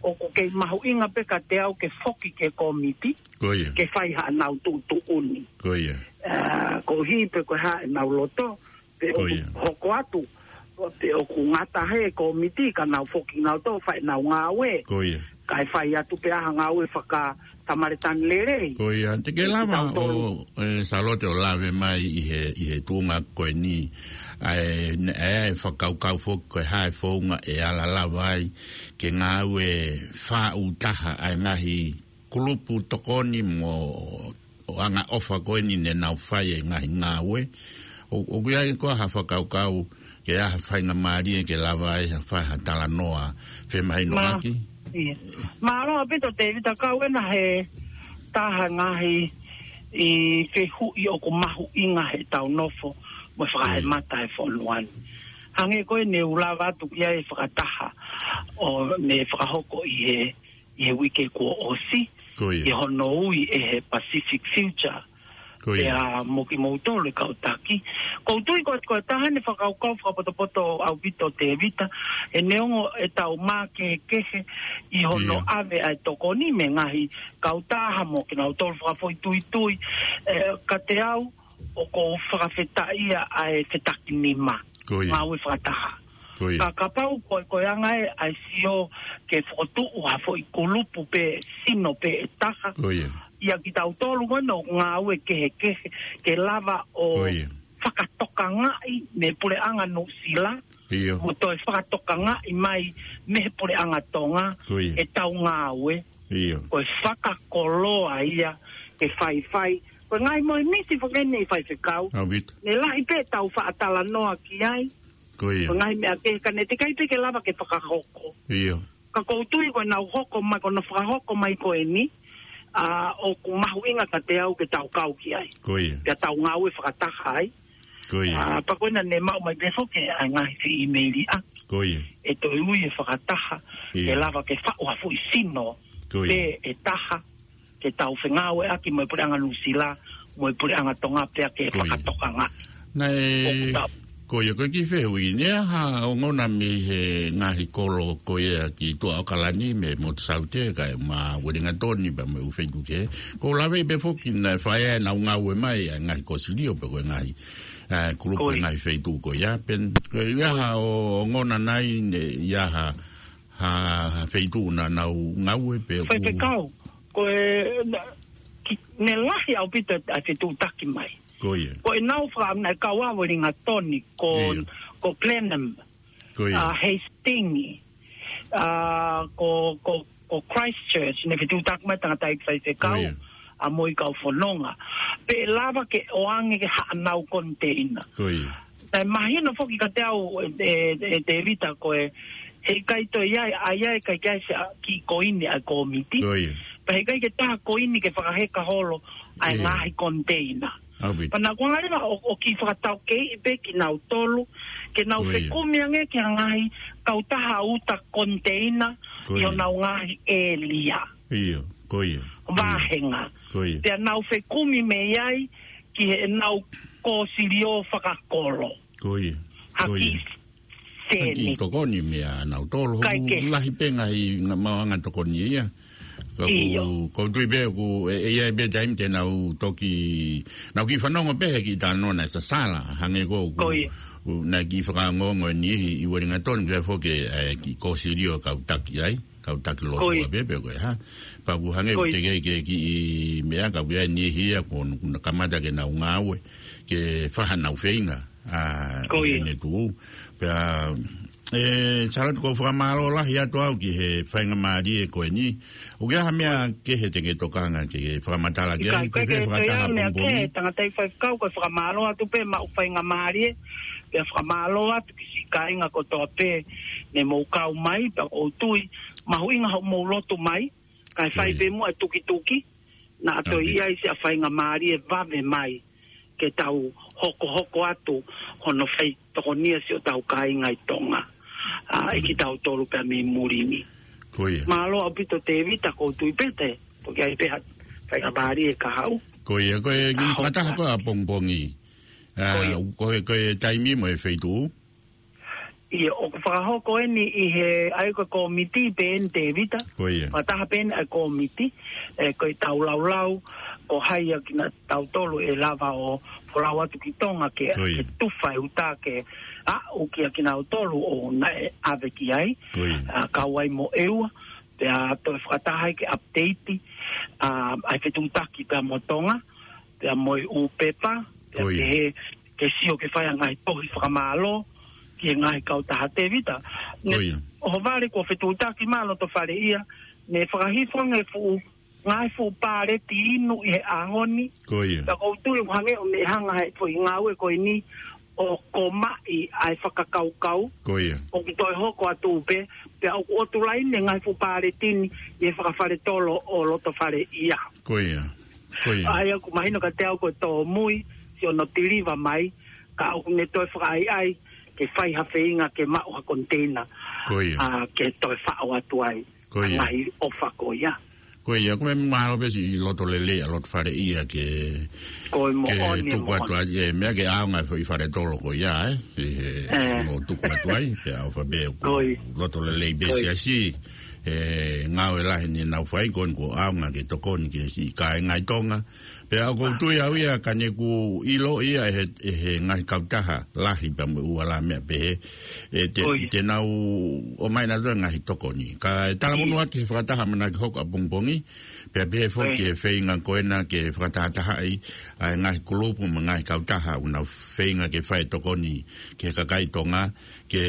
ʻoku kei mahuʻinga pē kiate au ke foki ki he kōmiti, Ko ia. ke fai haʻanau tuʻutuʻuni. Ko ia. ʻA, koeʻuhi pē ko e hā ʻenau loto, pe Ko ʻoku ia. hoko atu, pe ʻoku ngata he kōmiti ka nau foki nau tō fai ʻenau ngāue. Ko ia. Kae fai atu pē ʻa e ngāue faka-Samalitani lelei. Ko ia, te ke Ke lava tau tolu. ʻo, ʻe, Sālote ʻo lave mai ʻi he, ʻi he tuʻunga ko eni, ʻa e, ne, ʻa e fakakaukau foki ko e hā e founga ʻe ala lava ai, ke ngāue faʻu taha ʻa e ngaahi kulupu tokoni mo ʻo anga ʻofa ko eni ne nau fai e ngaahi ngāue. ʻO, ʻoku ʻi ai koā ha fakakaukau ke ʻi ai ha faingamālie ke lava ai ha fai ha talanoa femahinoʻaki? Mā-, ʻIo. Mālō ʻaupito Tevita, kau ena he taha ngaahi ʻi fehuʻi ʻoku mahuʻinga he tau nofo mo fakaemata he fonua ni. Hangē ko ē ne u lava atu ki ai fakataha ʻo ne fakahoko ʻi he, ʻi he uike kuo ʻosi, Ko ia. ʻi hono ui ʻe he Pacific Future. Ko ia. Pea mo kimoutolu e kau taki. ʻOku ou tui ko, ko e taha eni e fakakaukau fakapotopoto ʻaupito Tevita, he neongo e tau mā kehekehe ʻi hono ʻIo. ʻave ʻa e tokoni mei he ngaahi kautaha mo kinautolu fakafoʻituitui, ʻe, kiate au ʻoku ou fakafetaʻia ʻa e fetakinima. Ko ia. Ngāue fakataha. Ko ia. Ka kapau ko, ko e anga ē ʻa e sio ke fokotuʻu ha foʻi kulupu pe sino pe ʻe taha. Ko ia. ʻIa kitautolu ko ena ʻoku ngāue kehekehe ke lava ʻo Ko ia. fakatokangaʻi mei he puleʻanga Nuʻusila. ʻIo. Mo toe fakatokangaʻi mai mei he puleʻanga Tonga Ko ia. e tau ngāue. ʻIo. Ko e fakakoloa ia ke faifai. Ko e ngaahi moʻi misi foki eni faifekau. ʻAupito. Ne lahi pē tau faʻa talanoa ki ai. Ko ia. Ko e ngaahi meʻa kehe ka ne teʻeki ai pē ke lava ke fakahoko. ʻIo. Ka ʻoku ou tui ko ʻenau hoko mai, ko hono fakahoko mai ko eni, ʻa, ʻoku mahuʻinga kiate au ke tau kau ki ai. Ko ia. Pea tau ngāue fakataha ai. Ko ia. ʻA, pea ko ena ne maʻu mai pē foki ʻa e ngaahi feʻimeili ʻa. Ko ia. ʻE toe ui e fakataha, ʻIo. ke lava ke faʻu ha foʻi sino. Ko ia. Pē ʻe taha, ke tau fengāueʻaki mo e Puleʻanga Nuʻusila, mo e Puleʻanga Tonga pea ke Ko ia. fakatokanga. Naʻe, ʻOku tau. ko ia, ko e kiʻi fehuʻi, naʻe ʻi ai ha ongona mei he ngaahi kolo ko ia ki tuʻa ʻAokalani, mei Motu Saute, kae ʻumaʻā Uelingatoni, pea mo e ʻū feituʻu kehe. ʻOku ou lave pē foki naʻe fai ai ʻenau ngāue mai, ʻa e ngaahi kosilio pe ko e ngaahi, ʻa, kulupu Ko e ia. ngaahi feituʻu ko ia. Pea, ko e ʻi ai ha ongona nai, naʻe ʻi ai ha ha, ha feituʻu naʻa nau ngāue pe ʻoku Faifekau, ko e, na, ki, ne lahi ʻaupito ʻa e fetuʻutaki mai. Ko ia. Ko ʻenau faka-, naʻe kau ʻa Uelingatoni, ko, ʻIo. ko Blenheim, Ko ia. ʻa Hastings, ʻa, ko, ko, ko Christchurch, ne fetuʻutaki mai tangataʻeiki faifekau, Ko ia. ʻa mo e kau fononga. Pea lava ke ʻoange ke haʻanau koniteina. Ko ia. Naʻe mahino foki kiate au, ʻe, ʻe, ʻe Tevita ko e, heʻikai toe ʻi ai, ʻa ia ʻe ʻikai ke ʻi ai se, ʻa, kiʻi koini ʻa e kōmiti. Ko ia. Pea heʻikai ke taha koini ke fakaheka holo ʻa e ʻIo. ngaahi koniteina. ʻAupito. Pea naʻa ku hanga leva ʻo, ʻo kiʻi fakataukeiʻi pē kinautolu, ke nau Ko ia. fekumi ange ki he ngaahi kautaha uta koniteina Ko ʻi ia. honau ngaahi ʻēlia. ʻIo, ko ia. Ko ia. Vāhenga. Ko ia. Pea nau fekumi mei ai ki heʻenau kosilio fakakolo. Ko ia. Ha Ko ia. kiʻi Ha kiʻi sēniti. tokoni meia nautolu, Kae ʻoku kehe. lahi pē ngaahi nga-, maʻuʻanga tokoni ia. Ka ʻOku, ʻIo. ʻoku ou tui pē ʻoku, ʻe, ʻe ʻi ai pē taimi te nau toki, nau kiʻi fanongo pē he kiʻi talanoa naʻe sasala, hangē ko ʻoku, Ko ia. ʻoku, naʻe kiʻi fakaongoongo ʻe niʻihi ʻi Uelingatoni, ke foki, ʻe, kiʻi kosilio kau taki ai. Kau taki lotu Ko ia. ʻa pē pe ko e hā. Pea ʻoku hangē Ko ia. teʻeki ke kiʻi meʻa ka ʻoku ʻi ai e niʻihi ia ʻoku na kamata ke nau ngāue, ke fai haʻanau feinga, ʻa, Ko ia. ʻi heʻene tuʻu. Pea, ʻe, Sālote ʻoku ou fakamālō lahi atu au ki he faingamālie ko eni. ʻOku ʻi ai ha meʻa kehe te ke tokanga ke, ke fakamatala ki ai, ʻIkai, ko e ʻikai ke toe fakataha ʻi ai meʻa pongipongi. kehe, tangataʻeiki faifekau, ko e fakamālō atu pē maʻu faingamālie, pea fakamālō atu ki siʻi kāinga kotoa pē, ne mou kau mai, pea ʻoku ou tui, mahuʻinga hoʻomou lotu mai, kae fai Ko ia. pē muʻa e tukituki, naʻa toe Ape. ʻi ai siʻa faingamālie vave mai, ke tau hokohoko atu, hono fai tokonia siʻotau kāinga ʻi Tonga. ʻA, ʻi Ko ia. kitautolu pē mei muli ni. Ko ia. Mālō ʻaupito Tevita ʻoku ou tui pē te, toki ʻi ai pē ha faingamālie ka haʻu. Ko ia, ko e kiʻi Ka fakataha hoko. ko ē ʻapongipongi. ʻA, Ko ia. ko e, ko e taimi mo e feituʻu. ʻIo, ʻoku fakahoko eni ʻi he ʻa ia ko e kōmiti pē eni Tevita. Ko ia. Fakataha pē eni ʻa e kōmiti, ʻe, ko ʻetau laulau, ko hai ʻa kinautolu ʻe lava ʻo folau atu ki Tonga ke, Ko ia. ke tufa e uta ke aʻu kia kinautolu ʻoku nau ʻave ki ai. Ko ia. ʻA, kau ai mo ʻEua, pea toe fakataha ai ke update, ʻa, ʻa e fetuʻutaki pea mo Tonga, pea mo e ʻū pepa, pea Ko ia. pehē ke sio ke fai ʻa e ngaahi tohi fakamālō, ki he ngaahi kautaha Tevita. Ne, Ko ia. ʻohovale kuo fetuʻutaki mai ʻa Lotofaleʻia, ne fakahifo ange fuʻu, ngaahi fuʻu pāleti inu ʻi he ʻaho ni. Ko ia. Pea ʻoku ou tui ʻoku hangē ʻoku ne hanga he foʻi ngāue ko eni, ʻo komaʻi ʻa e fakakaukau. Ko ia. ʻOku toe hoko atu pē, pea ʻoku ʻotu laine ngaahi fuʻu pāleti ni, ʻi he fakafaletolo ʻo Lotofaleʻia. Ko ia. Ko ia. ʻA ia ʻoku mahino kiate au ko e tōmui, siʻono tiliva mai, ka ʻoku ne toe fakaʻaiʻai, ke fai ha feinga ke maʻu ha koniteina. Ko ia. ʻA, ke toe faʻo atu ai. Ko ia. Ngaahi ʻofa ko ia. Ko ia, ʻoku meimei mahalo pē siʻi loto lelei ʻa Lotofaleʻia ke, Ko e ke moʻoni, tuku atu moʻoni. ai, ʻe, meʻa ke ʻaonga e foʻi faletolo ko ia, ē. ʻI he, ʻE. mo tuku atu ai, pea ʻofa pē ʻoku Ko ia. loto lelei pē Ko ia. siasi, ʻe, ngāue lahi ne nau fai ko eni ʻoku ʻaonga ke tokoni ki he siʻi kāinga ʻi Tonga. Pea ʻoku ou tui au ia ka ne ʻoku ʻilo ia ʻe he, ʻe he ngaahi kautaha lahi pea mo e ʻū ala meʻa pehē. ʻE te, Ko ia. te nau ʻomai nautolu e ngaahi tokoni. Ka e talamonū Ia. atu he fakataha ʻamanaki hoko ʻapongipongi, pea pehē foki Ko ia. he feinga ko ena ke fakatahatahaʻi, ʻa e ngaahi kulupu mo e ngaahi kautaha, ʻoku nau feinga ke fai tokoni ki he kakai Tonga, ke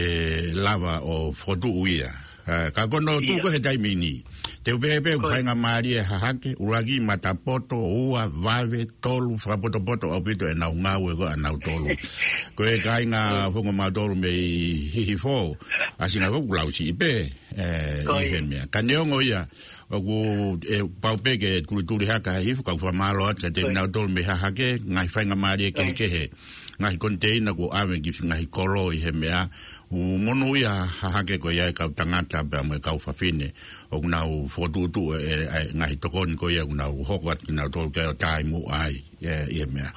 lava ʻo fokotuʻu ia. ʻA, ka ko hono Ia. tuku he taimi ni. Te u pehē pē ʻoku faingamālie hahake, ʻuluaki matapoto, ua, vave, tolu, fakapotopoto ʻaupito ʻenau ngāue ko ē ʻanautolu. Ko e kāinga, ʻoku mautolu mei Hihifo, ʻa Singapore ʻoku lausiʻi pē, ē, ʻi he meʻa. Ka neongo ia, ʻoku, ē, pau pē ke tulituli hake ha Hihifo, ka ʻoku fakamālō atu kiate kinautolu mei hahake, ngaahi faingamālie kehekehe, ngaahi koniteina kuo ʻave ki he ngaahi kolo ʻi he meʻa, ʻoku monūʻia hahake ko ia e kau tangata pea mo e kau fafine, ʻoku nau fokotuʻutuʻu e, e, e ngaahi tokoni ko ia ʻoku nau hoko atu kinautolu ke ʻo taimi ai, ē, ʻi he meʻa.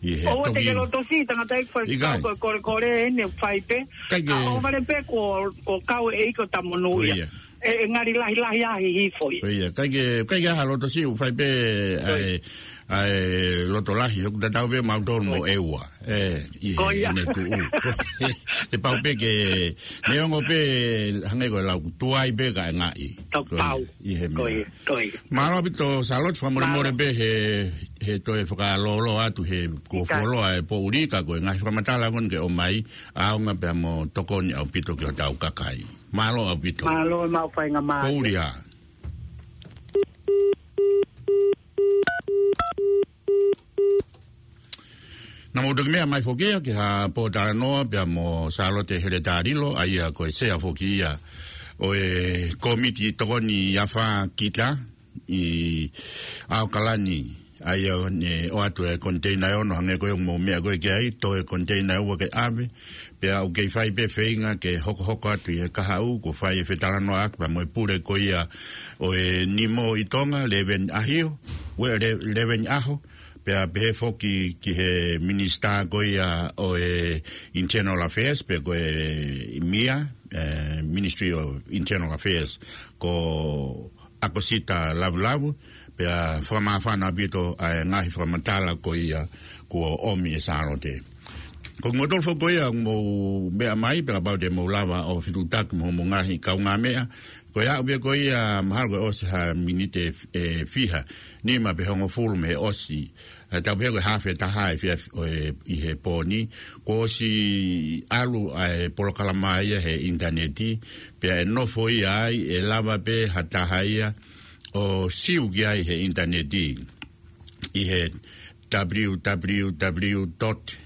ʻI he ʻOua te toki ke loto siʻi tangata ʻi fai ʻIkai. Ko e kolekole ʻene fai pē. Kai ke ʻA ʻo vale pē ko, ko kau e ʻEiki ʻo ta monūʻia. Ko ia. E, e ngali lahilahi ʻa Hihifo ia. Ko ia. Kai ke, kai ke ʻaha loto siʻi ʻoku fai pē ʻa e, ʻa e loto lahi, ʻoku tatau pē mautolu mo ʻEua. Ē, ʻi he, ʻene tuʻu. Te pau pē ke, neongo pē, hangē ko e lau, tuai pē kae ngaʻi. Tau pau. ʻI he meʻa. Mālō ʻaupito, Sālote, fakamolemole pē he, he toe fakalōloa atu he kuo fuoloa e poʻuli ka ko e ngaahi fakamatala ko eni ke ʻomai, ʻaonga pea mo tokoni ʻaupito ki hotau kakai. Mālō ʻaupito. Mālō, mau faingamālie. Poʻuli ā. Naʻa mou toki meʻa mai foki ia ki ha pōtalanoa pea mo Sālote Heletalilo, ʻa ia ko e sea foki ia ʻo e kōmiti tokoni afā kita ʻi ʻAokalani, ʻa ia ʻoku ne ʻoatu e koniteina ʻe ono hangē ko ia ʻoku mou meʻa ko ē ki ai, toe koniteina ʻe ua ke ʻave, pea ʻoku kei fai pē feinga ke hokohoko atu ʻi he kahaʻu, kuo fai e fetalanoaʻaki pea mo e pule ko ia ʻo e Nimo ʻi Tonga, Leveni ʻAhio, ue, Le-, Leveni ʻAho, pea pehē foki ki he minisitā ko ia ʻo e Internal Affairs, pe ko e mia, e, Ministry of Internal Affairs, ko ʻAkosita Lavulavu, pea fakamāfana ʻaupito ʻa e ngaahi fakamatala ko ia kuo ʻomi ʻe Sālote. Ko kimoutolu foki ko ia ʻoku mou meʻa mai, pea kapau te mou lava ʻo fetuʻutaki mo hoʻomou ngaahi kaungāmeʻa, ko e aʻu pē ko ia mahalo ko e ʻosi ha miniti ʻe, ʻe fiha, nima pe hongofulu mei he ʻosi, ʻe tau pehē ko e hafe taha e fia, ʻo e, ʻi he pō ni, kuo ʻosi ʻalu ʻa e polokalama ia he ʻinitaneti, pea ʻe nofo ia ai, ʻe lava pē ha taha ia ʻo siu ki ai he ʻinitaneti, ʻi he w w w dot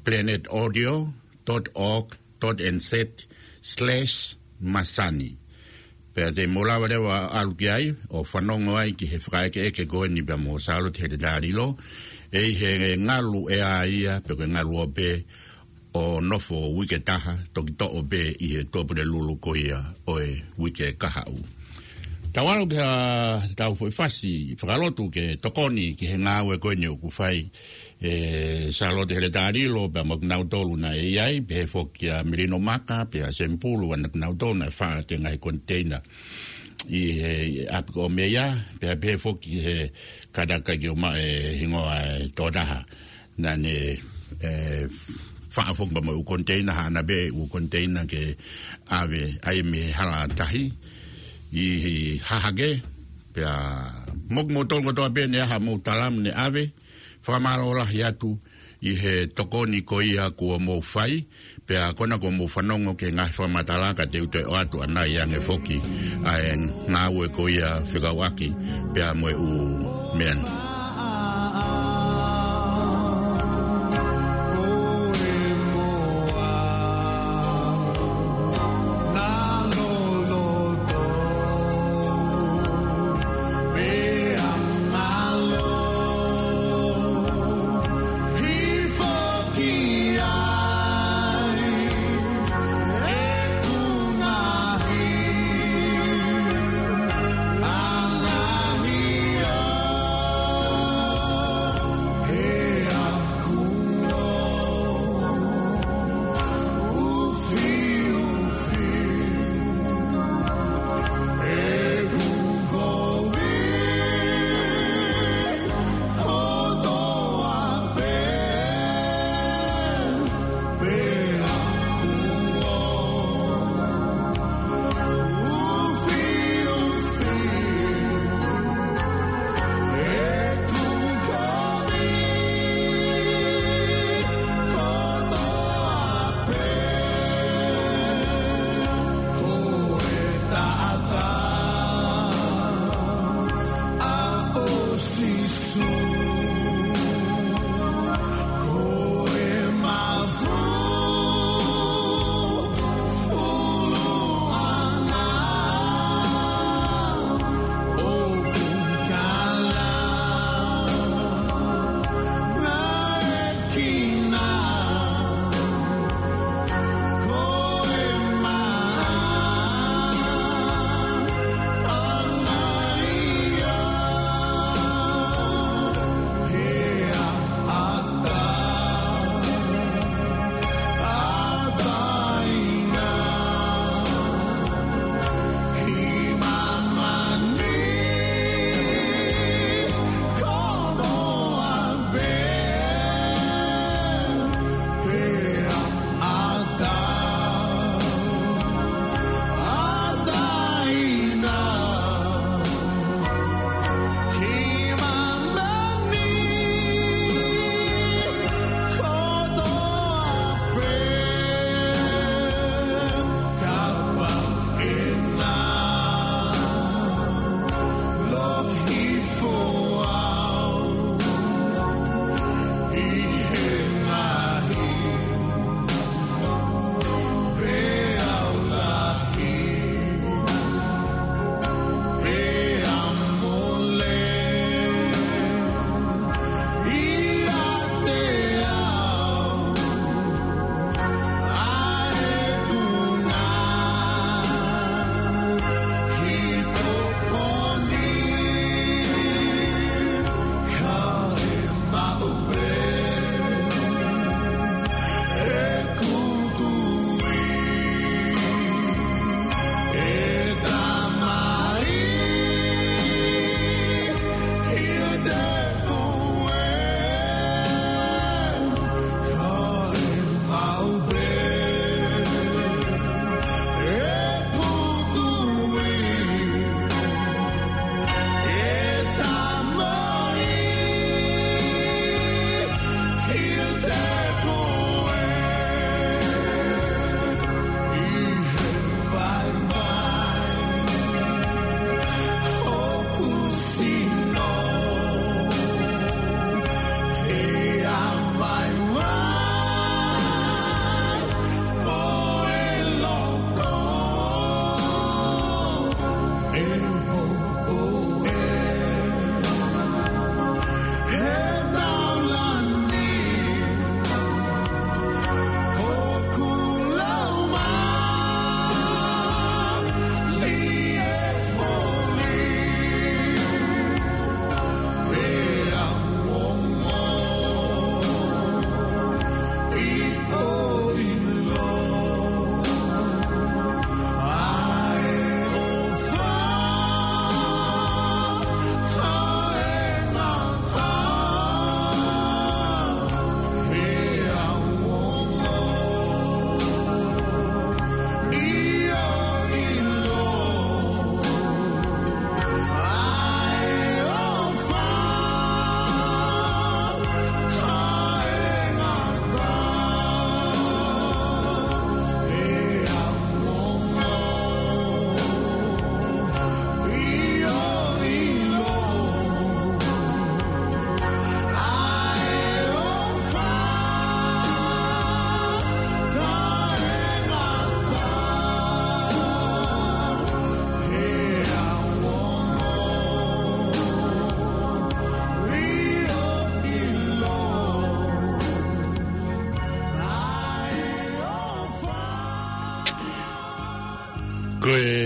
planet audio dot org dot n z slash masani. Pea te mou lava leva ʻalu ki ai, ʻo fanongo ai ki he fakaʻekeʻeke ko eni pea mo Sālote Heletalilo, ʻi he ngalu ʻea ia, pe ko e ngalu ope, ʻo nofo uike taha, toki toʻo pē ʻi he Tuʻapulelulu ko ia ʻo e uike kahaʻu. Tau ʻalu ki ha, tau foʻi fasi, fakalotu ke tokoni ki he ngāue ko eni ʻoku fai, ʻe Sālote Heletalilo, pea mo kinautolu naʻe ʻi ai, pehē foki kia Melino Maka, pea Semipulu, ʻa kinautolu naʻe faʻa e ngaahi koniteina ʻi he ʻapi ko Meia, pea pehē foki he kātaki ʻo maʻu e hingoa e tokotaha naʻa ne, ʻe, faʻa foki pea mo e ʻū koniteina, haʻana pē ʻū koniteina ke ʻave ai mei he hala tahi ʻi Hahake, pea mo kimoutolu kotoa pē naʻe ʻi ai haʻamou tala mo ne ʻave, fakamālō lahi atu ʻi he tokoni ko ia kuo mou fai, pea ko ena kuo mou fanongo ki he ngaahi fakamatala ka te u toe ʻoatu ʻanai ange foki ʻa e ngāue ko ia fekauʻaki pea mo e ʻū meʻa ni.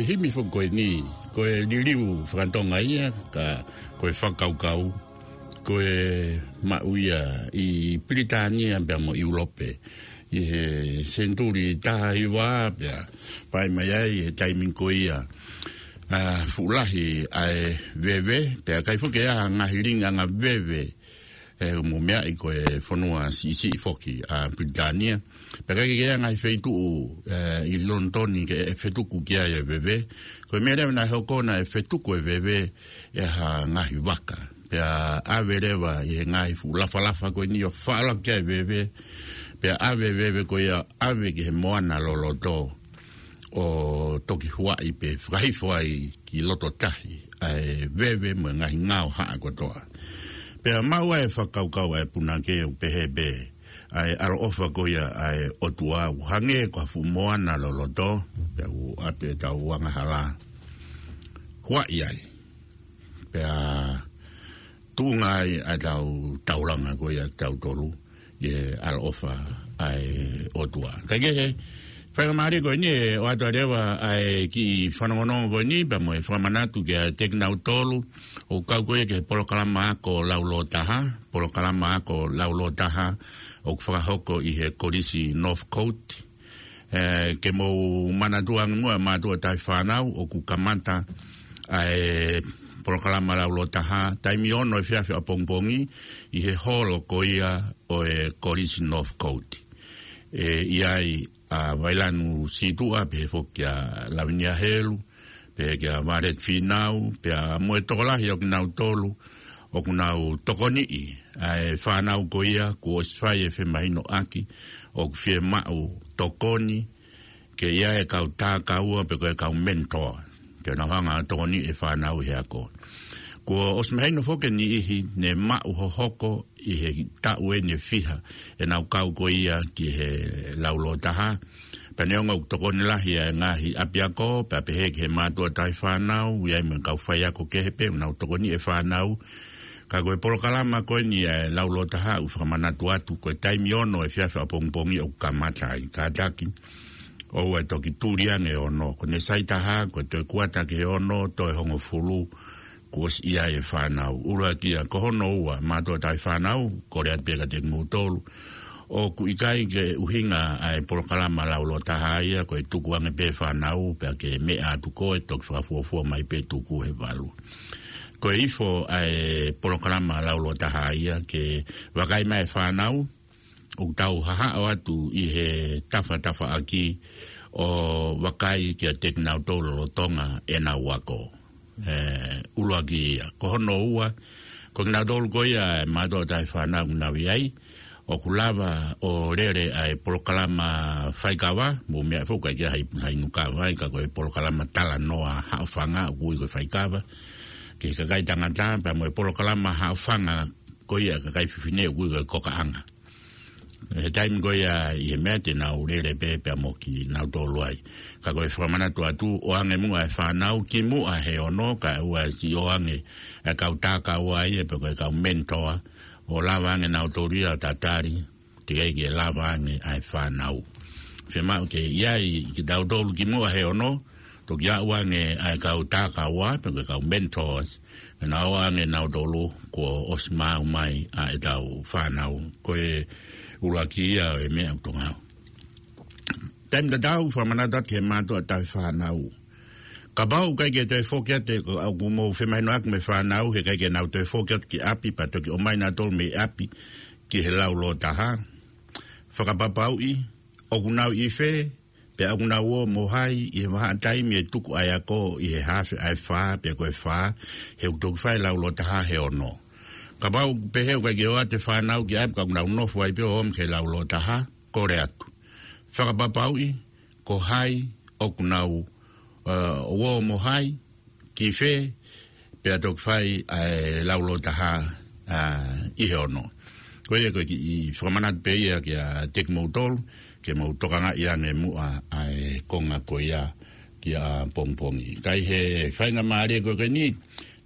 Himi foki ko eni, ko e liliu fakatonga ia, ka ko e fakakaukau, ko e maʻu ia ʻi Pilitānia pea mo ʻIulope. ʻI he senituli taha hiva pea, pea mai ai he taimi ko ia, ʻa, fuʻu lahi ʻa e veve, pea ʻikai foki ʻi ai ha ngaahi lilingi anga veve, ʻe mo meaʻi ko e fonua siʻisiʻi foki ʻa Pilitānia. Pea ʻikai ke ʻi ai ha ngaahi feituʻu, ʻe, ʻi Lonitoni ke ʻe fetuku ki ai e veve. Ko e meʻa leva naʻe hoko naʻe fetuku e veve ʻe ha ngaahi vaka. Pea ʻave leva ʻi he ngaahi fuʻu lafalafa ko eni ʻo faʻala ki ai e veve. Pea ʻave e veve ko ia ʻave ki he moana loloto ʻo toki huaʻi pē fakahifo ai ki loto tahi ʻa e veve mo e ngaahi ngao haʻa kotoa. Pea maʻu ai e fakakaukau ʻa e punake ʻo pehē pē ʻa e ʻaloʻofa ko ia ʻa e ʻOtua ʻoku hangē ko ha fuʻu moana loloto, pea ʻoku ʻatu ʻetau angahala huaʻi ai. Pea tuʻunga ai ʻa ʻetau taulanga ko ia ʻa kitautolu ʻi he ʻaloʻofa ʻa e ʻOtua. Kae kehe, faingamālie ko eni ʻe ʻoatu leva ʻa e kiʻi fanongonongo ko eni, pea mo e fakamanatu kiate kinautolu ʻoku kau ko ia ki he polokalama ako laulōtaha, polokalama ako laulōtaha ʻoku fakahoko ʻi he Kolisi Northcote, ʻe, ke mou manatua ange muʻa mātuʻa taʻefānau ʻoku kamata ʻa e polokalama laulōtaha, taimi ono efiafi ʻapongipongi, ʻi he holo ko ia ʻo e Kolisi Northcote. ʻE, ʻi ai ʻa Vailanu Situʻa, pehē foki ʻa Lavinia Helu, pehē kia Violet Fīnau, pea mo e tokolahi ʻo kinautolu ʻoku nau tokoniʻi ʻa e fānau ko ia kuo ʻosi fai e femahinoʻaki ʻoku fiemaʻu tokoni, ke ʻi ai e kau tākaua pe ko e kau mentor, ke nau hanga ʻo tokoniʻi e fānau he ako. Kuo ʻosi mahino foki e niʻihi ne maʻu hohoko ʻi he taʻu ʻe fiha ʻenau kau ko ia ki he laulōtaha. Pea neongo ʻoku tokoni lahi ʻa e ngaahi ʻapiako, pea pehē ki he mātuʻa taʻefānau, ʻi ai mo e kau faiako kehe pē ʻoku nau tokoniʻi e fānau. Ka ko e polokalama ko eni ʻa e laulōtaha ʻoku fakamanatu atu ko e taimi ono efiafi ʻapongipongi ʻoku kamata ai, kātaki ʻoua ʻe toki tuli ange e ono. Ko ʻene sai taha, ko e toe kuata ki he ono, toe hongofulu, kuo ʻosi ʻi ai e fānau. ʻUluaki ia, ko hono ua, mātuʻa taʻefānau, kole atu pē kiate kimoutolu ʻoku ʻikai ke ʻuhinga ʻa e polokalama laulōtaha ia ko e tuku ange pē fānau, pea ke meʻa atu koe, toki fakafuofua mai pē tuku he valu. Ko e ifo ʻa e polokalama laulōtaha ia ke vakai mai e fānau, ʻoku tau hahaʻo atu ʻi he tafatafaʻaki ʻo vakai kiate kinautolu lolotonga ʻenau ako. ʻE, ʻuluaki ia. Ko hono ua, ko kinautolu ko ia e mātuʻa taʻefānau ʻoku nau ʻi ai, ʻoku lava ʻo lele ʻa e polokalama faikava, mou meʻa foki ʻikai ke ʻi ai ha inu kava ai, ka ko e polokalama talanoa haʻofanga ʻoku ui ko e faikava, ki he kakai tangata, pea mo e polokalama haʻofanga ko ia kakai fefine ʻoku ui ko e kokaʻanga. He taimi ko ia ʻi he meʻa te nau lele pē pea mo kinautolu ai. Ka ko e fakamanatu atu, ʻoange muʻa e fānau kimuʻa he ono, kae ʻoua siʻi ʻoange e kau tākaua ia pe ko e kau mentor, ʻo lava ange nautolu ia ʻo tatali, teʻeki ke lava ange ʻa e fānau. Fiemaʻu ke ʻi ai kitautolu kimuʻa he ono, toki aʻu ange ʻa e kau tākaua, pe ko e kau mentors, ke nau ō ange nautolu kuo ʻosi maʻu mai ʻa ʻetau fānau. Ko e ʻuluaki ia ʻo e meʻa ʻoku tau ngāue. Taimi tatau, fakamanatu atu ki he mātuʻa taʻefānau. Kapau ʻoku ʻikai ke toe foki atu, ʻoku mou femahinoʻaki mo e fānau, he ʻikai ke nau toe foki atu ki ʻapi, pea toki ʻomai nautolu mei ʻapi ki he laulōtaha. Fakapapauʻi ʻoku nau ʻi fē, pea ʻoku nau ō mo hai ʻi he vahaʻa taimi ʻe tuku ai ʻa e ako ʻi he haafe ʻa e fā, pea ko e fā, he ʻoku toki fai e laulōtaha he ono. Kapau ʻoku pehē ʻoku ʻikai ke ō atu e fānau ki ʻapi ka ʻoku nau nofo ai pē ʻo ō mai ki he laulōtaha, kole atu. Fakapapauʻi ko hai ʻoku nau, ʻe, ō mo hai, ki fē, pea toki fai ʻa e laulōtaha, ʻa, ʻi he ono. Ko ia ko e kiʻi fakamanatu pē ia kiate kimoutolu, ke mou tokangaʻi ange muʻa ʻa e konga ko ia ki ʻapongipongi. Ka ʻi he faingamālie ko eni,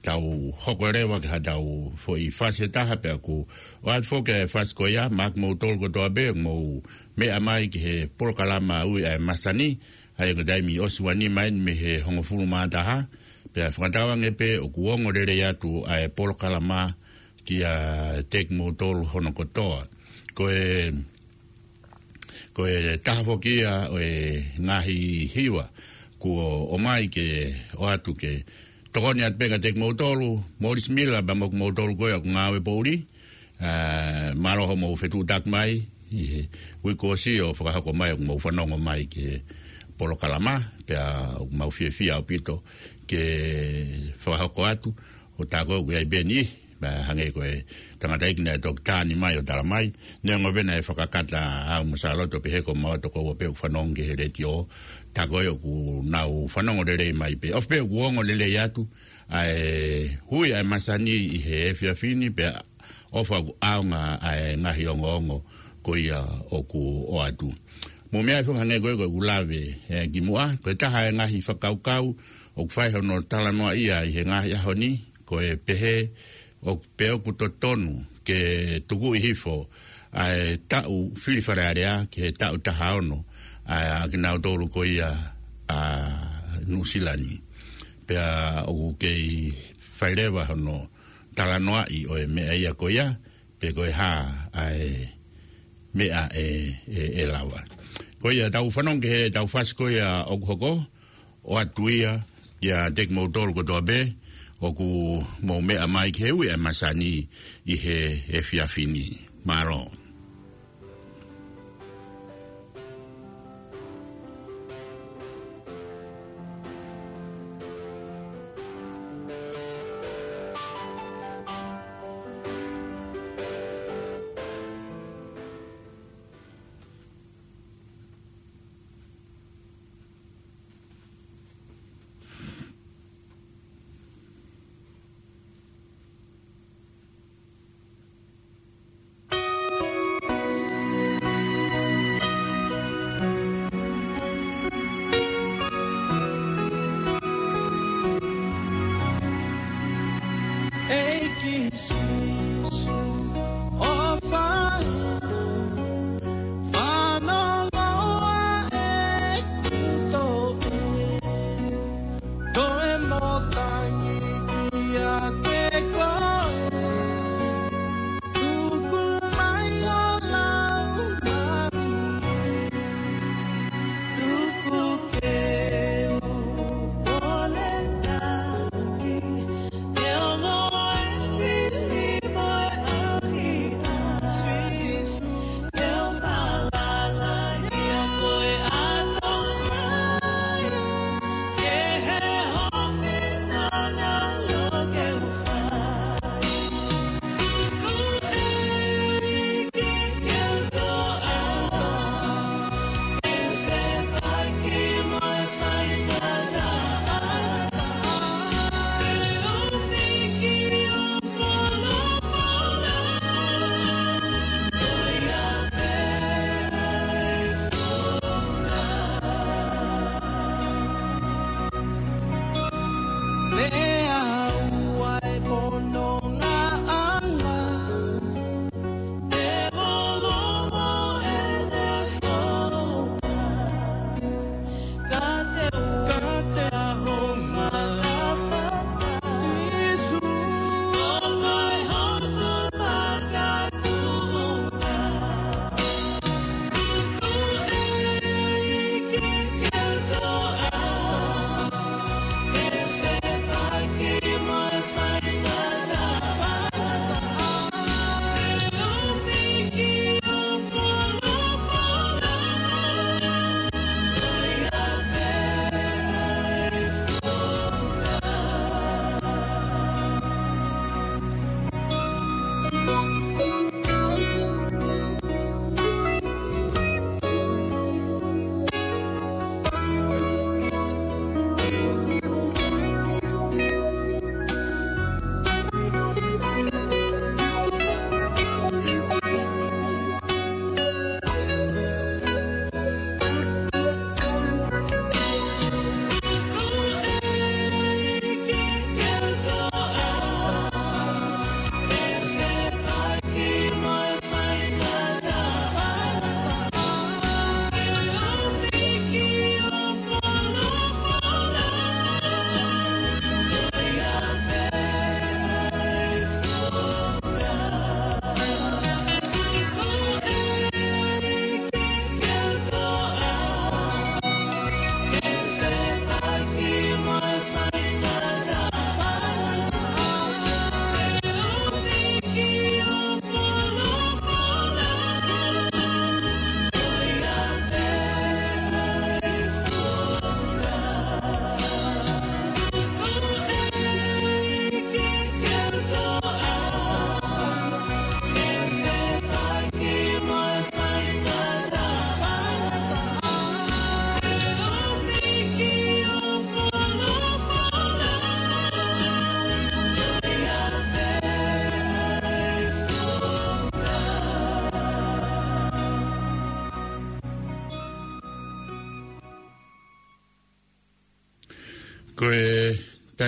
tau hoko leva ki haʻatau foʻi fasi ʻe taha pea ʻoku ʻoatu foki e fasi ko ia, maʻa kimoutolu kotoa pē, mou meʻa mai ki he polokalama ʻoku ui ʻa e Masani, ʻa ia ko e taimi ʻosi ua nima eni mei he hongofulu mā taha, pea fakatauange pē ʻoku ongo lelei atu ʻa e polokalama kia kimoutolu hono kotoa. Ko e, ko e taha foki ia ʻo e ngaahi hiva kuo ʻomai ke ʻoatu ke tokoni atu pē kia kimoutolu, Morris Miller, pea mo kimoutolu ko ia ʻoku ngāue poʻuli, ʻa, mālō hoʻomou fetuʻutaki mai ʻi he uike kuo ʻosi ʻo fakahoko mai ʻoku mou fanongo mai ki he polokalama, pea ʻoku mau fiefia ʻaupito ke fakahoko atu ʻo tā ko ē ʻoku ʻi ai pē eni, pea hangē ko e tangataʻeiki naʻe toki tā ni mai ʻo tala mai, neongo pē naʻe fakakata au mo Sālote ʻo pehē ko maua tokoua pē ʻoku fanongo ki he letiō, tā ko ē ʻoku nau fanongo lelei mai pē. ʻOfa pē ʻoku ongo lelei atu ʻa e hui ʻa e masani ʻi he efiafi ni, pea ʻofa ʻoku ʻaonga ʻa e ngaahi ongoongo ko ia ʻoku ʻoatu. Mou meaʻi foki hangē ko ē ko ʻeku lave, ē, kimuʻa, ko e taha e ngaahi fakakaukau ʻoku fai hono talanoaʻia ʻi he ngaahi ʻaho ni, ko e pehē ʻoku, pe ʻoku totonu ke tukuʻi hifo ʻa e taʻu fili Fale Alea ki he taʻu taha ono ʻa, ʻa kinautolu ko ia ʻa Nuʻusila ni. Pea ʻoku kei fai leva hono talanoaʻi ʻo e meʻa ia ko ia, pe ko e hā ʻa e meʻa ʻe, ʻe, ʻe lava. Ko ia, tau fanongo ki he tau fasi ko ia ʻoku hoko, ʻoatu ia kiate kimoutolu kotoa pē ʻoku mou meʻa mai ki he hui ʻa e masani ʻi he efiafi ni. Mālō.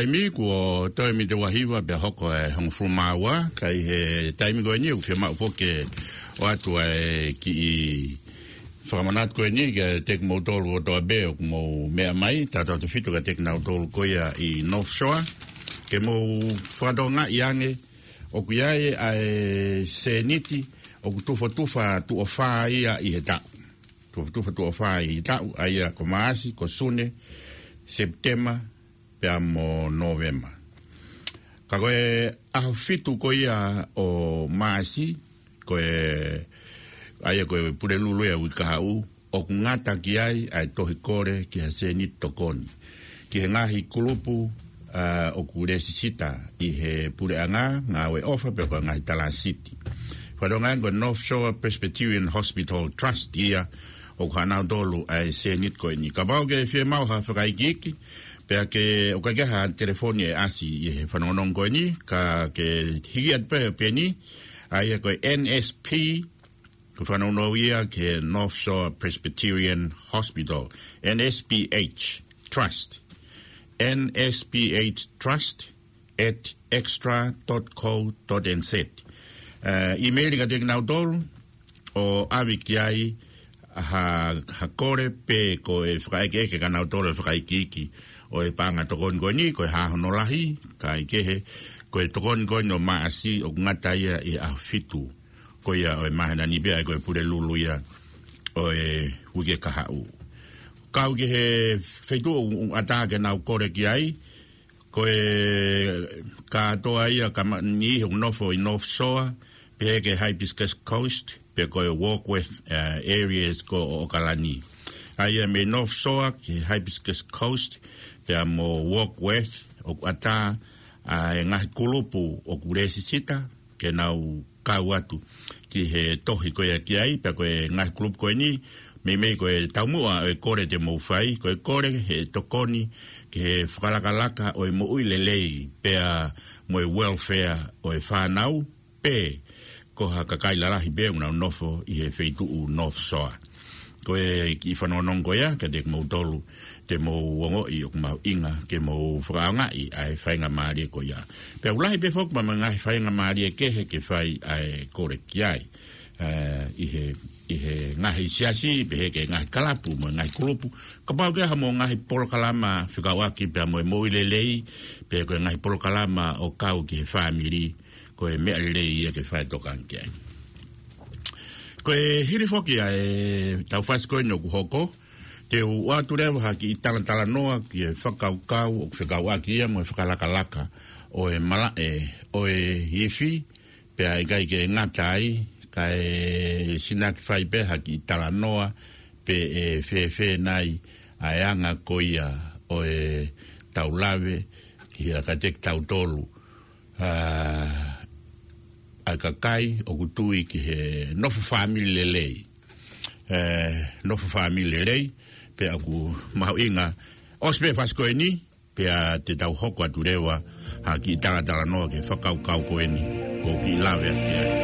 Taimi kuo toe miniti ua hiva pea hoko e hongofulu mā ua, ka ʻi he taimi ko eni ʻoku fiemaʻu foki ke ʻoatu ʻa e kiʻi fakamanatu ko eni kiate kimoutolu kotoa pē ʻoku mou meʻa mai, tautautefito kiate kinautolu ko ia ʻi North Shore, ke mou fakatokangaʻi ange, ʻoku ʻi ai ʻa e sēniti ʻoku tufatufa tuʻo fā ia ʻi he taʻu. Tufatufa tuʻo fā ʻi he taʻu, ʻa ia ko Maʻasi, ko Sune, Sepitema, pea mo Nōvema. Ka ko e ʻaho fitu ko ia ʻo Maʻasi, ko e, ʻa ia ko e Pulelulu ia ʻo e uike kahaʻu, ʻoku ngata ki ai ʻa e tohi kole ki ha sēniti tokoni ki he ngaahi kulupu, ā, ʻoku lēsisita ʻi he puleʻanga, ngāue ʻofa pea ko e ngaahi talāsiti. Fakatonga ko e North Shore Presbyterian Hospital Trust ia ʻoku ʻanautolu ʻa e sēniti ko eni. Kapau ʻoku ke fiemaʻu ha fakaikiiki, pea ʻoku ʻikai ke ʻi ai ha telefoni ʻe ʻasi ʻi he fanongonongo ko eni, ka ke hiki atu pē ʻa e peni, ʻa ia ko e N S P, ko e fanongonongo ia ki he North Shore Presbyterian Hospital, N S P H Trust, N S P H Trust at extra dot co dot N Z. Ā, email kiate kinautolu, ʻo ʻave ki ai ha, ha kole pe ko e fakaʻekeʻeke kia nautolu e fakaikiiki ʻo e paʻanga tokoni ko eni, ko e hā hono lahi, kae kehe, ko e tokoni ko eni ʻo Maʻasi ʻoku ngata ia ʻi he ʻaho fitu ko ia ʻo e māhina ni pea ko e Pulelulu ia ʻo e uike kahaʻu. Kau ki he feituʻu ʻoku ʻatā ke nau kole ki ai, ko e kātoa ia ka ma-, niʻihi ʻoku nofo ʻi North Shore, pehē ki he Hibiscus Coast, pe ko e Warkworth, ā, areas ko ʻAokalani. ʻA ia mei North Shore ki he Hibiscus Coast, pea mo Warkworth, ʻoku ʻatā ʻa e ngaahi kulupu ʻoku lēsisita ke nau kau atu ki he tohi ko ia ki ai, pea ko e ngaahi kulupu ko eni, meimei ko e taumuʻa ʻo e kole te mou fai, ko e kole he tokoni ki he fakalakalaka ʻo e moʻui lelei, pea mo e welfare ʻo e fānau, pe ko ha kakai lalahi pē ʻoku nau nofo ʻi he feituʻu North Shore. Ko e kiʻi fanongonongo ko ia kiate kimoutolu, te mou ongoʻi ʻoku mahuʻinga ke mou fakaʻaongaʻi ʻa e faingamālie ko ia. Pea ʻoku lahi pē foki mo e ngaahi faingamālie kehe ke fai ʻa e kole ki ai, ā, ʻi he, ʻi he ngaahi siasi, pehē ki he ngaahi kalapu mo e ngaahi kulupu. Kapau ʻoku ʻi ai haʻamou ngaahi polokalama fekauʻaki pea mo e moʻui lelei, pe ko e ngaahi polokalama ʻo kau ki he fāmili, ko e meʻa lelei ia ke fai tokanga ki ai. Ko e hili foki ʻa e taufasi ko eni ʻoku hoko, te u ʻoatu leva ha kiʻi talatalanoa ki he fakakaukau ʻoku fekauʻaki ia mo e fakalakalaka ʻo e malaʻe ʻo e ifi, pea ʻikai ke ngata ai, kae sinaki fai pē ha kiʻi talanoa pe ʻe fēfē nai ʻa e anga ko ia ʻo ʻetau lave ki he ʻakateki tautolu, ā, ʻa e kakai ʻoku tui ki he nofo fāmili lelei. Ē, nofo fāmili lelei, pea ʻoku mahuʻinga, ʻosi pē fasi ko eni, pea te tau hoko atu leva ha kiʻi talatalanoa ki he fakakaukau ko eni, ʻoku ou kiʻi lave atu ki ai.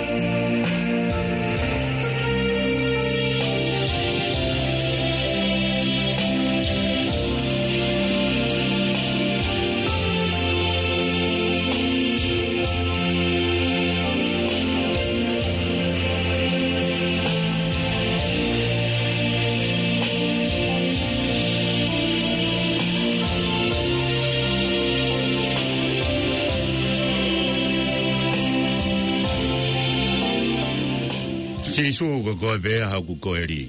Sīsū, ko koe pē ʻa hoku koeli.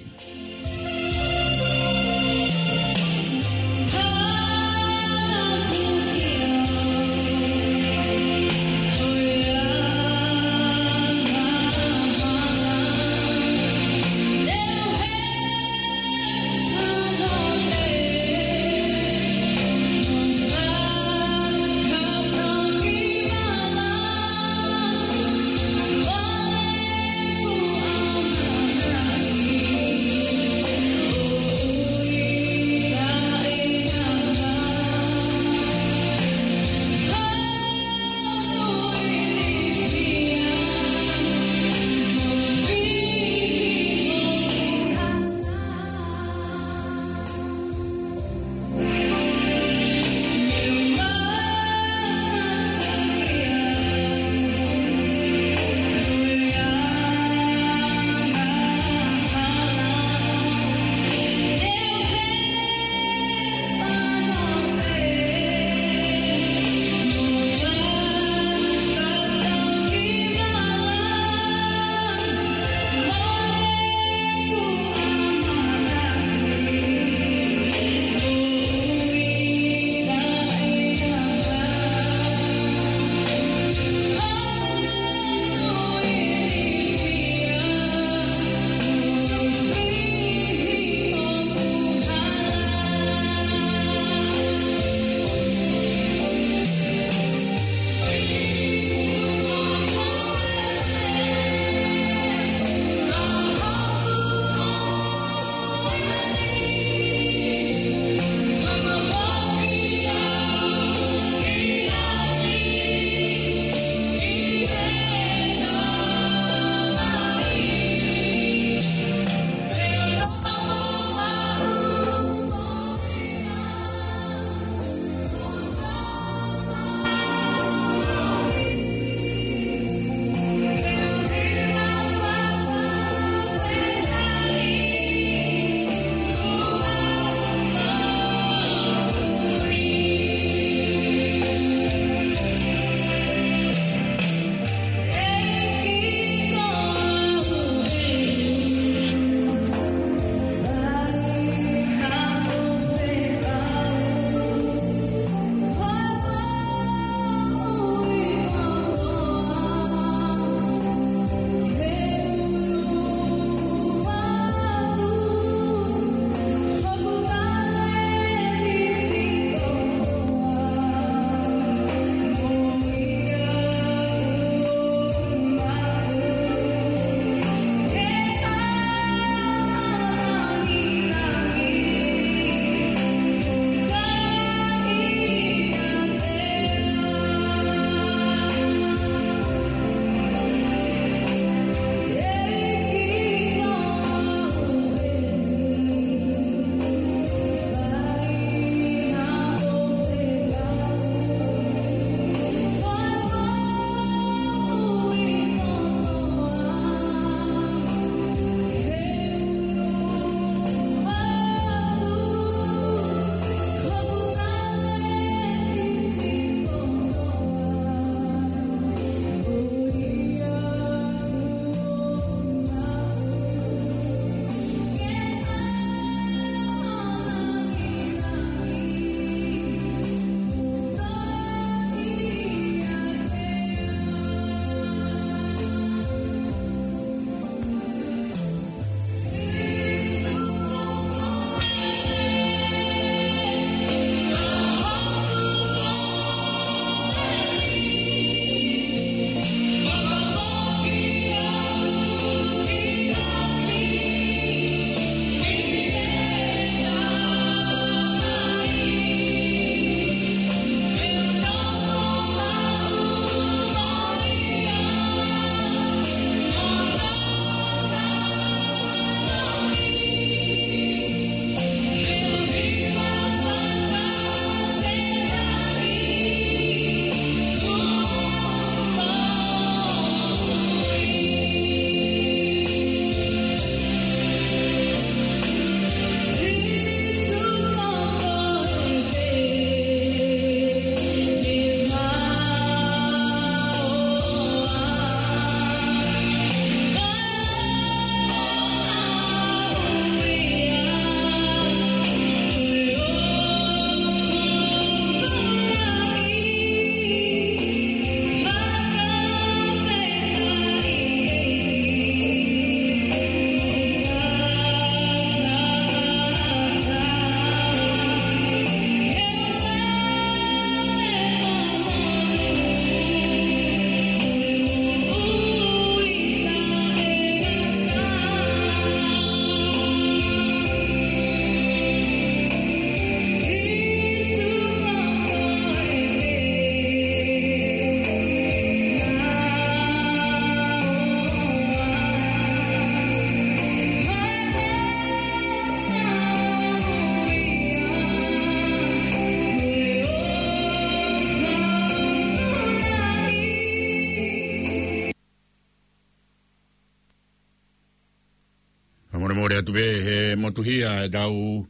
Pea ʻoku tuʻu pē he motuhia ʻetau,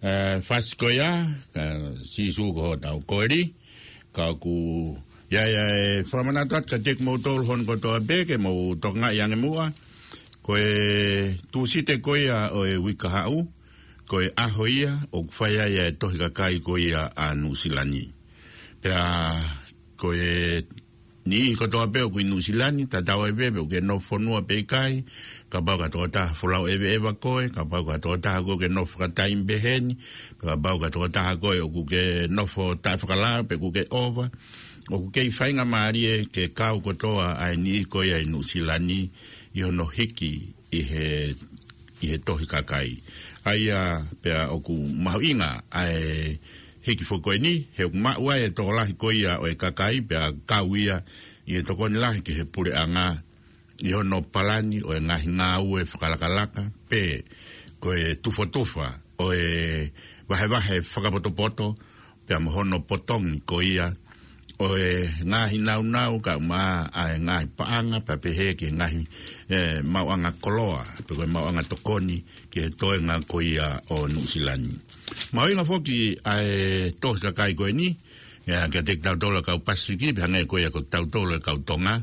ē, fasi ko ia, ē, Sīsū ko hotau Koeli, ka ʻoku ʻi ai ʻa e fakamanatu atu kiate kimoutolu hono kotoa pē ke mou tokangaʻi ange muʻa, ko e Tūsite ko ia ʻo e uike kahaʻu, ko e ʻaho ia ʻoku fai ai ʻa e tohi kakai ko ia ʻa Nuʻusila ni. Pea ko e niʻihi kotoa pē ʻoku ʻi Nuʻusila ni, tatau ai pē pe ʻoku ke nofo fonua pe ʻikai, kapau ko ha tokotaha folau ʻeveʻeva koe, kapau ko ha tokotaha ʻoku ke nofo fakataimi pehē ni, kapau ko ha tokotaha koe ʻoku ke nofo taʻefakalao pe ʻoku ke ʻova, ʻoku kei faingamālie ke kau kotoa ʻa e niʻihi ko ia ʻi Nuʻusila ni ʻi hono hiki ʻi he, ʻi he tohi kakai. ʻA ia pea ʻoku mahuʻinga ʻa e hiki foki ko eni, he ʻoku maʻu ai e tokolahi ko ia ʻo e kakai pea kau ia ʻi he tokoni lahi ki he puleʻanga ʻi hono palani ʻo e ngaahi ngāue fakalakalaka, pe ko e tufotufa ʻo e vahevahe fakapotopoto, pea mo hono potongi ko ia ʻo e ngaahi naunau kae ʻumaʻā ʻa e ngaahi paʻanga, pea pehē ki he ngaahi, ē, maʻuʻanga koloa, pe ko e maʻuʻanga tokoni ki he toenga ko ia ʻo Nuʻusila ni. Mahuʻinga foki ʻa e tohi kakai ko eni, ē, kiate kitautolu ʻa e kau Pasifiki, pea hangē ko ia ko kitautolu ʻa e kau Tonga.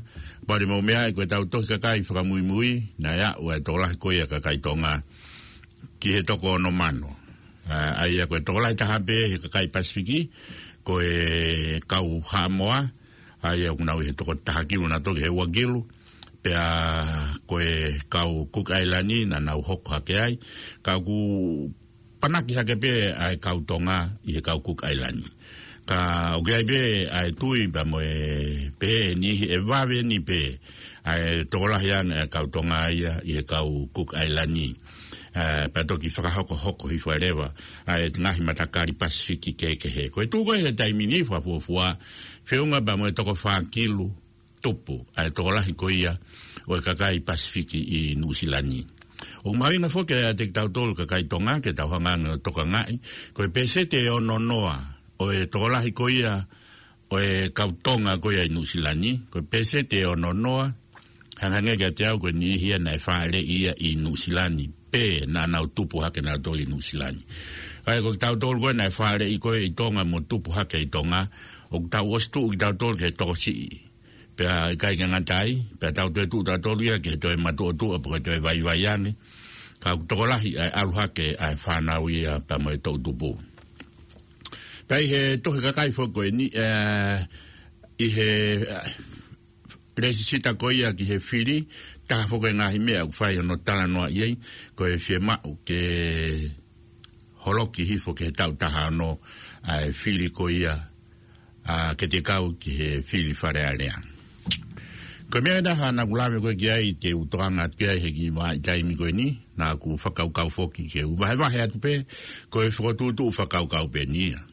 Pea ʻoku mou meaʻi ko ʻetau tohi kakai fakamuimui, naʻe aʻu ʻa e tokolahi ko ia kakai Tonga ki he toko ono mano. Ā, ʻa ia ko e tokolahi taha pē he kakai Pasifiki, ko e kau Haʻamoa, ʻa ia ʻoku nau ʻi he toko taha kilu naʻa toki he ua kilu, pea ko e kau Cook Island naʻa nau hoko hake ai, ka ʻoku panaki hake pē ʻa e kau Tonga ʻi he kau Cook Island. Ka ʻoku ʻi ai pē ʻa e tui pea mo e pehē ʻe niʻihi ʻe vave ni pē ʻa e tokolahi ange ʻa e kau Tonga ia ʻi he kau Cook Island. Ē, pea toki fakahokohoko hifo ai leva ʻa e ngaahi matakali Pasifiki kehekehe. Ko e tuʻu ko ē he taimi ni fakafuofua, feʻunga pea mo e toko fā kilu tupu ʻa e tokolahi ko ia ʻo e kakai Pasifiki ʻi Nuʻusila ni. ʻOku mahuʻinga foki kiate kitautolu kakai Tonga ke tau hanga ange ʻo tokangaʻi, ko e peseti ʻe ono noa ʻo e tokolahi ko ia ʻo e kau Tonga ko ia ʻi Nuʻusila ni, ko e peseti ʻe ono noa, hangehangē kiate au ko e niʻihi ia naʻe fāʻeleʻi ia ʻi Nuʻusila ni, pe naʻa nau tupu hake nautolu ʻi Nuʻusila ni. ʻA ia ko kitautolu ko ē naʻe fāʻeleʻi ko ē ʻi Tonga mo tupu hake ʻi Tonga, ʻoku tau ʻosi tuʻu kitautolu ki he tokosiʻi. Pea ʻikai ke ngata ai, pea tau toe tuʻu tautolu ia ki he toe matuʻotuʻa, pe ko e toe vaivai ange. Ka ʻoku tokolahi ʻa e ʻalu hake ʻa e fānau ia pea mo e toʻutupu. Pea ʻi he tohi kakai foki ko eni, ē, ʻi he, ē, lēsisita ko ia ki he fili, taha foki e ngaahi meʻa ʻoku fai hono talanoaʻi ai, ko e fiemaʻu ke holoki hifo ki he taʻu taha ono ʻa e fili ko ia, ā, ke te kau ki he fili Fale Alea. Ko e meʻa ʻe taha naʻa ku lave ko ē ki ai te u tokanga atu ki ai he kiʻi vahaʻa taimi ko eni, naʻa ku fakakaukau foki ke u vahevahe atu pē, ko e fokotuʻutuʻu fakakaukau pē eni ia.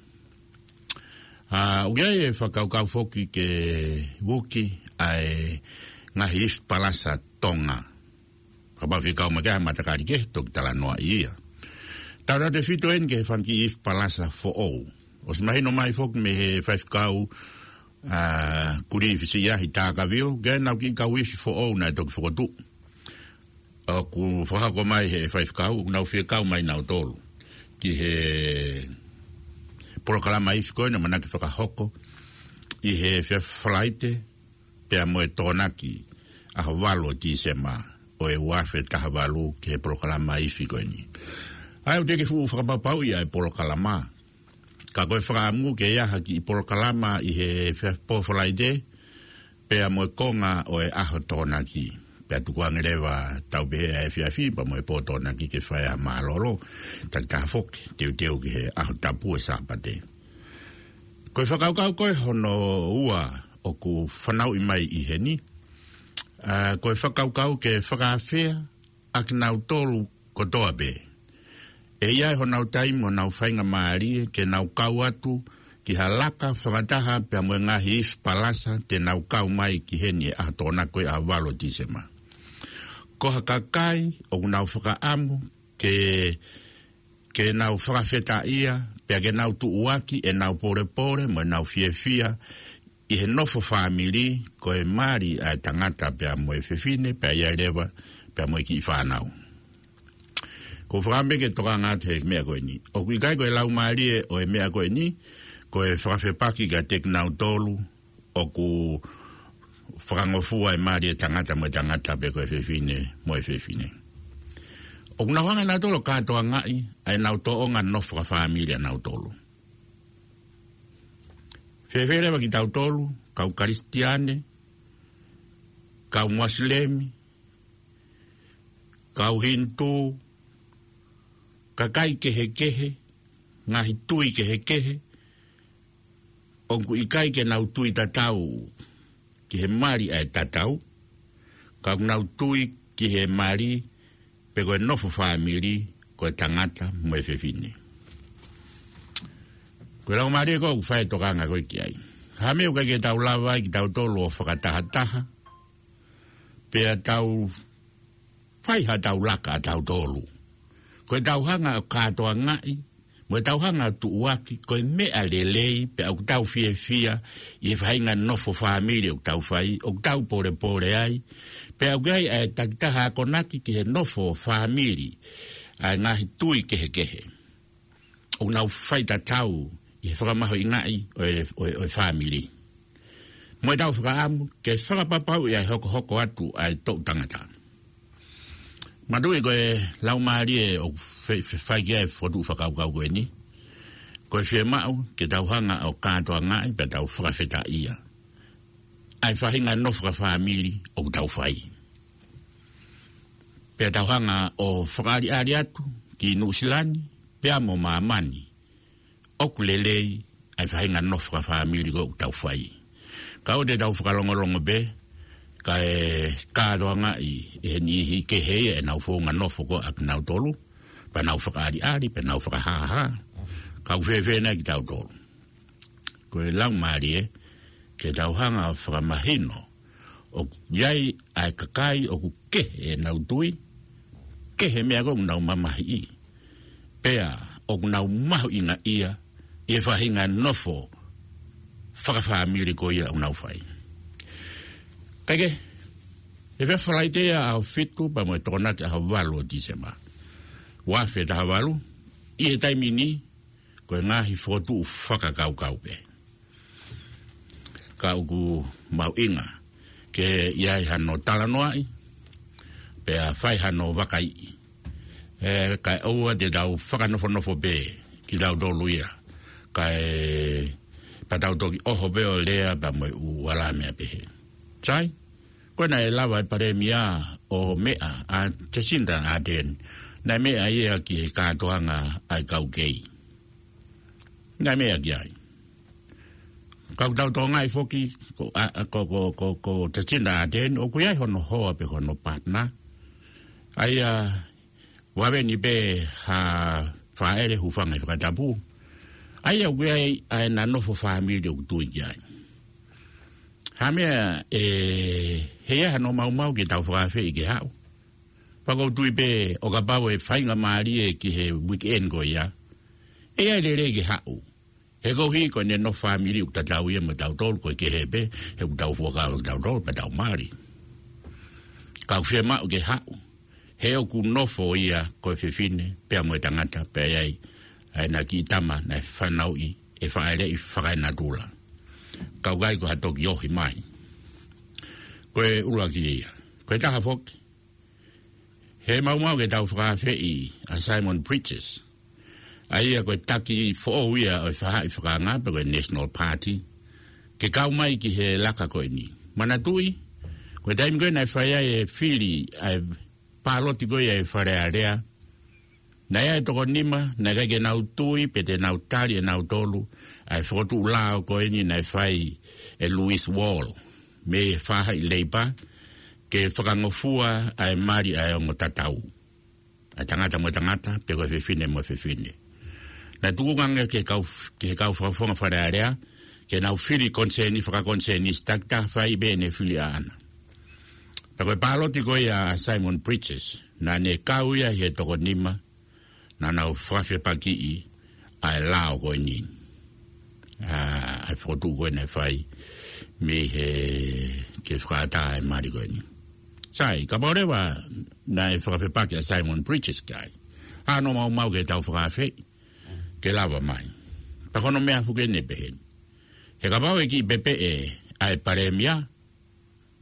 Ā, ʻoku ʻi ai e fakakaukau foki ke vuki ʻa e ngaahi ifi palasa Tonga. Kapau ʻe fie kau mai ki ai ha matakali kehe, toki talanoaʻi ia. Tautautefito eni ki he fanga kiʻi ifi palasa foʻou. ʻOsi mahino mai foki mei he faifekau, ā, Kulifi Siahi Takavio, ki heʻenau kiʻi kau ifi foʻou naʻe toki fokotuʻu. ʻOku fakahoko mai he faifekau, ʻoku nau fie kau mai nautolu ki he polokalama ifi ko ē naʻe ʻamanaki fakahoko ʻi he efiafi Falaite, pea mo e Tokonaki, ʻaho valu ʻo Tīsema ʻo e ua afe taha valu ki he polokalama ifi ko eni. ʻA ia ʻoku teʻeki ke fuʻu fakapapauʻi ʻa e polokalama. Ka ko e fakaʻamu ke ʻi ai ha kiʻi polokalama ʻi he efiafi pō Falaite, pea mo e konga ʻo e ʻaho Tokonaki. Pea tukuange leva tau pehē ʻa e efiafi, pea mo e pō Tokonaki ke fai ʻa e mālōlō, takitaha foki, teuteu ki he ʻaho tapu ʻo e Sāpate. Ko e fakakaukau ko ē hono ua ʻoku fanauʻi mai ʻi heni, ā, ko e fakakaukau ke fakaafeʻi ʻa kinautolu kotoa pē. ʻE ʻi ai honau taimi mo honau faingamālie ke nau kau atu ki ha laka fakataha pea mo e ngaahi ifi palasa te nau kau mai ki heni he ʻaho Tokonaki ʻaho valu ʻo Tīsema. Ko ha kakai ʻoku nau fakaʻamu ke ke nau fakafetaʻia, pea ke nau tuʻuaki ʻenau polepole mo ʻenau fiefia ʻi he nofo fāmili, ko e mali ʻa e tangata pea mo e fefine, pea ʻi ai leva pea mo e kiʻi fānau. ʻOku ou fakaʻamu ke tokanga atu he meʻa ko eni. ʻOku ʻikai ko e laumālie ʻo e meʻa ko eni, ko e fakafepaki kiate kinautolu ʻoku fakangofua e mali ʻo e tangata mo e tangata pe ko e fefine mo e fefine. ʻOku nau hanga nautolu ʻo kātoangaʻi ʻa ʻenau tōʻonga nofo fakafāmili ʻanautolu. Fēfē leva kitautolu, kau Kalisitiane, kau Mosilemi, kau Hinitū, kakai kehekehe, ngaahi tui kehekehe, ʻoku ʻikai ke nau tui tatau ki he mali ʻa e tatau, ka ʻoku nau tui ki he mali pe ko e nofo fāmili, ko e tangata mo e fefine. Ko e laumālie ko ē ʻoku fai e tokanga ko ē ki ai. Ha meʻa ʻoku ʻikai ke tau lava ai kitautolu ʻo fakatahataha, pea tau fai ha tau laka ʻatautolu. Ko e tau hanga ʻo kātoangaʻi, mo e tau hanga ʻo tuʻuaki, ko e meʻa lelei, pea ʻoku tau fiefia ʻi he faʻahinga nofo fāmili ʻoku tau fai, ʻoku tau polepole ai, pea ʻoku ʻi ai ʻa e takitaha akonaki ki he nofo fāmili ʻa e ngaahi tui kehekehe. ʻOku nau fai tatau ʻi he fakamahuʻingaʻi ʻo e, ʻo e, ʻo e fāmili. Mo e tau fakaʻamu ke fakapapauʻi ʻa e hokohoko atu ʻa e toʻu tangata. Manatuʻi ko e laumālie ʻoku fe-, fe-, fai ki ai e fokotuʻu fakakaukau ko eni. Ko e fiemaʻu ke tau hanga ʻo kātoangaʻi pea tau fakafetaʻia ʻa e faʻahinga nofo fakafāmili ʻoku tau fai. Pea tau hanga ʻo fakaʻaliʻali atu ki Nuʻusila ni, pea mo māmani, ʻoku lelei ʻa e faʻahinga nofo fakafāmili ko ē ʻoku tau fai. Ka ʻoua te tau fakalongolongo pē, kae kātoangaʻi ʻe he niʻihi kehe ia ʻenau founga nofo ko ē ʻa kinautolu, pea nau fakaʻaliʻali, pea nau fakahāhā. Ka ʻoku fēfē nai kitautolu? Ko e laumālie ke tau hanga ʻo fakamahino ʻoku ʻi ai ʻa e kakai ʻoku kehe ʻenau tui, kehe meʻa ko ē ʻoku nau mamahiʻi, pea ʻoku nau mahuʻingaʻia ʻi he faʻahinga nofo fakafāmili ko ia ʻoku nau fai. Kae kehe, ʻe fai Falaite ia ʻaho fitu pea mo e Tokonaki ʻaho valu ʻo Tīsema. Ua afe taha valu, ʻi he taimi ni, ko e ngaahi fokotuʻu fakakaukau pē. Ka ʻoku mahuʻinga ke ʻi ai hano talanoaʻi, pea fai hano vakaiʻi. ʻE, kae ʻoua te tau fakanofonofo pē kitautolu ia, kae pea tau toki ʻoho pē ʻo lea pea mo e ʻū ala meʻa pehē. Sai, ko ē naʻe lava ʻe he Palēmia ʻo meʻa, ʻa Jacinda Ardern, naʻe meʻa ia ki he kātoanga ʻa e kau kei. Naʻe meʻa ki ai. Ka ʻoku tau tokangaʻi foki, ko, ʻa, ʻa, ko, ko, ko, ko Jacinda Ardern, ʻoku ʻi ai hono hoa pe hono partner. ʻA ia, ʻoku ʻi ai ni pē ha fāʻele, hūfanga he fakatapu. ʻA ia ʻoku ʻi ai ʻa ʻena nofo fāmili ʻoku tui ki ai. Ha meʻa ʻe, ʻe ʻi ai hano maumau ke tau fakaafeʻi ke haʻu. Pea ʻoku ou tui pē ʻo kapau ʻe faingamālie ki he weekend ko ia, ʻe ʻi ai e lelei ke haʻu. He koeʻuhi ko ʻene nofo fāmili ʻoku tatau ia mo tautolu, ko e kehe pē, he ʻoku tau fuakava tautolu, pea tau mali. Ka ʻoku fiemaʻu ke haʻu, he ʻoku nofo ia ko e fefine, pea mo e tangata, pea ʻi ai ʻa ʻena kiʻi tama naʻe fanauʻi ʻe fāʻeleʻi fakaenatula. Ka ʻoku ʻikai ko ha toki ohi mai. Ko e ʻuluaki ia. Ko e taha foki, he maumau ke tau fakaafeʻi ʻa Simon Bridges, ʻa ia ko e taki foʻou ia ʻo e faʻahi fakaanga pe ko e National Party, ke kau mai ki he laka ko eni. Manatuʻi, ko e taimi ko ē naʻe fai ai e fili ʻa e pāloti ko ia ʻi Fale Alea, naʻe ʻi ai e toko nima naʻe ʻikai ke nau tui pe te nau tali ʻe nautolu ʻa e fokotuʻu lao ko eni naʻe fai ʻe Lewis Wall mei he faʻahi Leipa, ke fakangofua ʻa e mali ʻa e ongo tatau, ʻa e tangata mo e tangata, pe ko e fefine mo e fefine. Naʻe tuku ange ki he kau, ki he kau fakafofonga Fale Alea ke nau fili konisēnisi, fakakonisēnisi, takitaha fai pē ʻene fili ʻaʻana. Pea ko e pāloti ko ia ʻa Simon Bridges, naʻa ne kau ia ʻi he toko nima naʻa nau fakafepakiʻi ʻa e lao ko eni. ʻA, ʻa e fokotuʻu ko ē naʻe fai mei he, ke fakaʻatā e mali ko eni. Sai, kapau leva naʻe fakafepaki ʻa Simon Bridges ki ai, Hano maumau ke tau fakaafeʻi ke lava mai. Pea ko hono meʻa foki eni pehē ni. He kapau ʻe kiʻi pepeʻe ʻa e palēmia,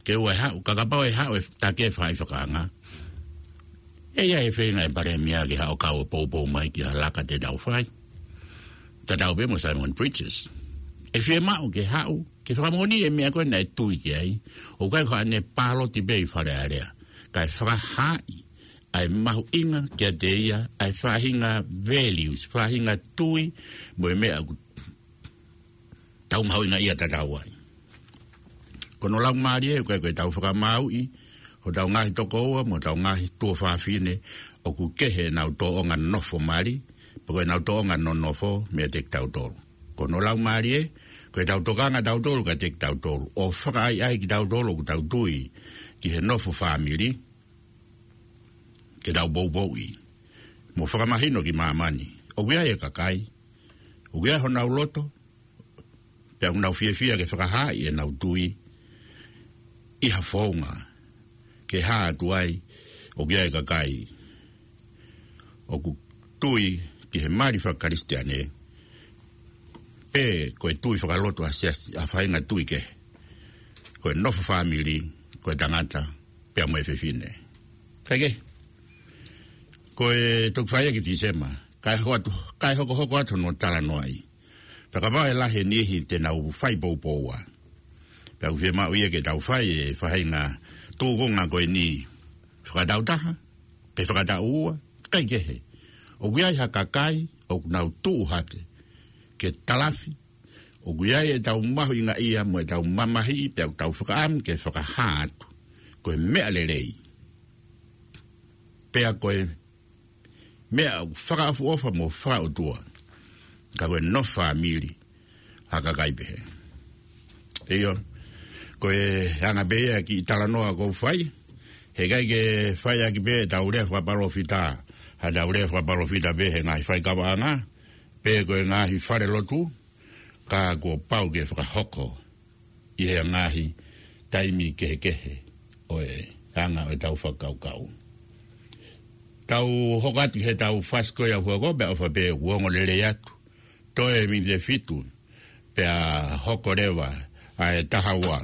ke ʻoua ʻe haʻu, ka kapau ʻe haʻu e take faifekau ʻa e ʻAʻau. ʻE ʻi ai e feinga ʻa e palēmia ke haʻu ʻo kau ʻo poupou mai ki ha laka te tau fai. Tatau pē mo Simon Bridges. ʻE fiemaʻu ke haʻu, ke fakamoʻoni e meʻa ko ē naʻe tui ki ai. ʻOku ʻikai ko haʻane paloti pē ʻi Fale Alea. Kae fakahaaʻi ʻa e mahuʻinga kiate ia, ʻa e faʻahinga values, faʻahinga tui, mo e meʻa ʻoku tau mahuʻingaʻia tatau ai. Ko hono laumālie, ʻoku ʻikai ko e tau fakamāuʻi hotau ngaahi tokoua mo hotau ngaahi tuofāfine ʻoku kehe ʻenau tōʻonga nofo mali, pe ko ʻenau tōʻonga nonofo meiate kitautolu. Ko hono laumālie, ko e tau tokanga tautolu kiate kitautolu, ʻo fakaʻaiʻai kitautolu ʻoku tau tui ki he nofo fāmili, ke tau poupouʻi mo fakamahino ki māmani. ʻOku ʻi ai e kakai ʻoku ʻi ai honau loto, pea ʻoku nau fiefia ke fakahaaʻi ʻenau tui ʻi ha founga ke hā atu ai. ʻOku ʻi ai e kakai ʻoku tui ki he mali fakakalisitiane, pe ko e tui fakalotu ʻa e siasi, ʻa e faʻahinga tui kehe. Ko e nofo fāmili, ko e tangata, pea mo e fefine. Kae kehe, ko e toki fai ia ki Tīsema, kae hoko atu, kae hokohoko atu hono talanoaʻi. Pea kapau ʻe lahi e niʻihi te nau fai poupoua, pea ʻoku fiemaʻu ia ke tau fai e faʻahinga tūkunga ko eni fakatautaha, pe fakataʻu ua, kae kehe. ʻOku ʻi ai ha kakai ʻoku nau tuʻu hake ke talafi, ʻoku ʻi ai e tau mahuʻingaʻia mo e tau mamahiʻi, pea ʻoku tau fakaʻamu ke fakahā atu ko e meʻa lelei, pea ko e meʻa ʻoku fakaʻofoʻofa mo fakaʻotua. Ka ko e nofo fāmili ha kakai pehē. ʻIo, ko e anga pē ia e kiʻi talanoa ʻoku ou fai, he ʻikai ke fai ʻaki pē ʻetau lea fakapalōfita, ha tau lea fakapalōfita pē he ngaahi faikavaʻanga, pe ko e ngaahi falelotu, ka kuo pau ke fakahoko ʻi he ngaahi taimi kehekehe ʻo e anga ʻo e tau fakakaukau. Tau hoko atu ki he tau fasi ko ia ʻoku hoko, pea ʻofa pē ʻoku ongo lelei atu. Toe miniti ʻe fitu, pea hoko leva ʻa e taha ua.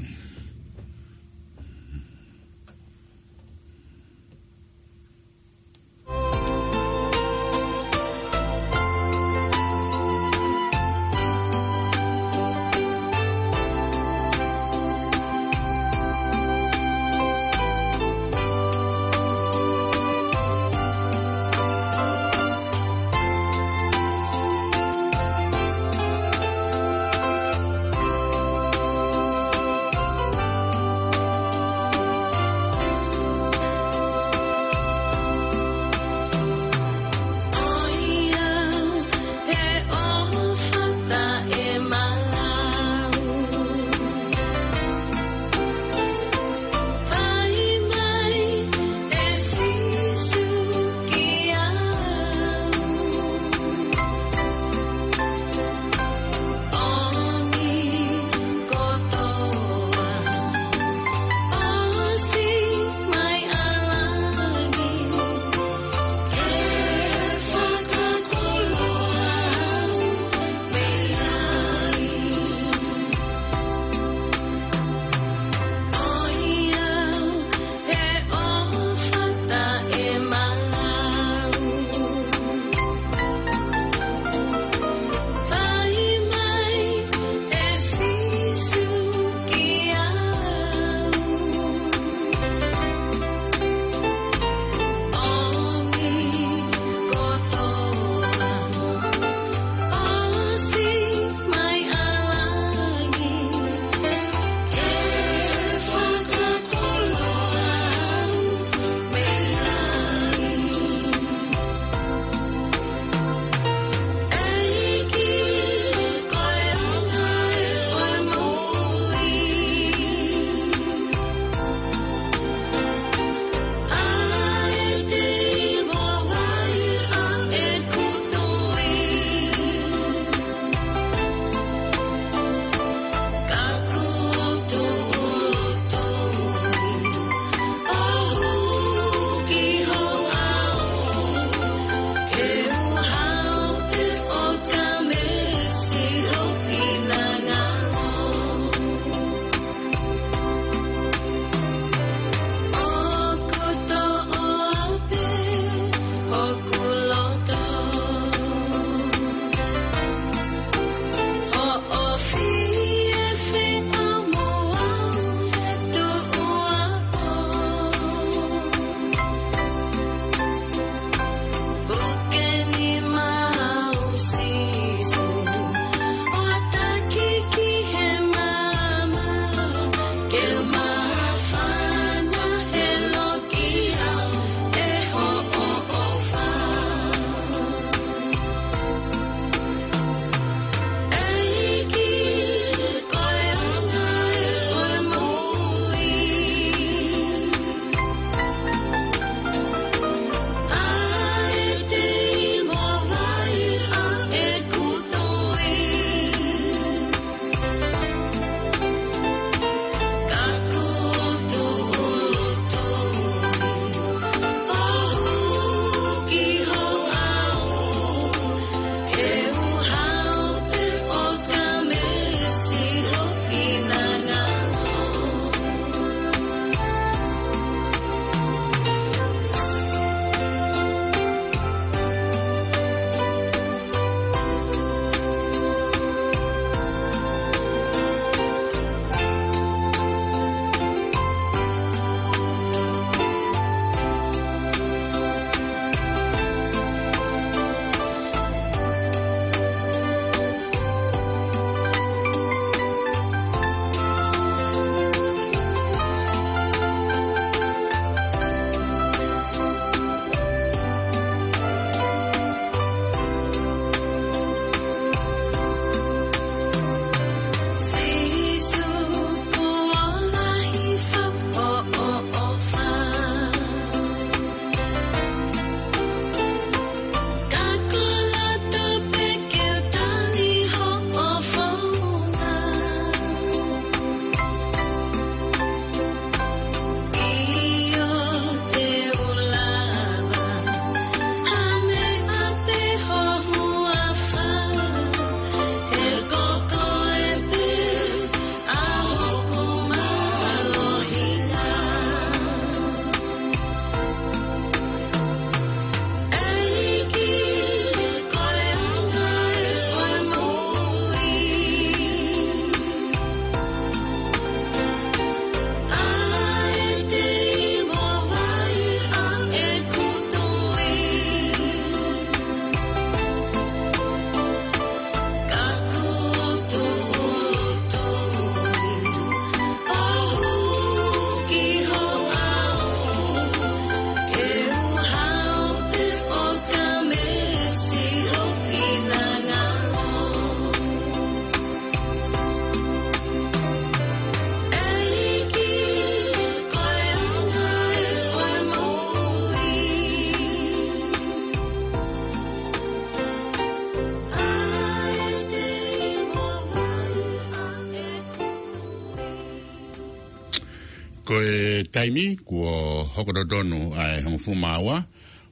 Ko e taimi kuo hoko totonu ʻa e hongofulu mā ua,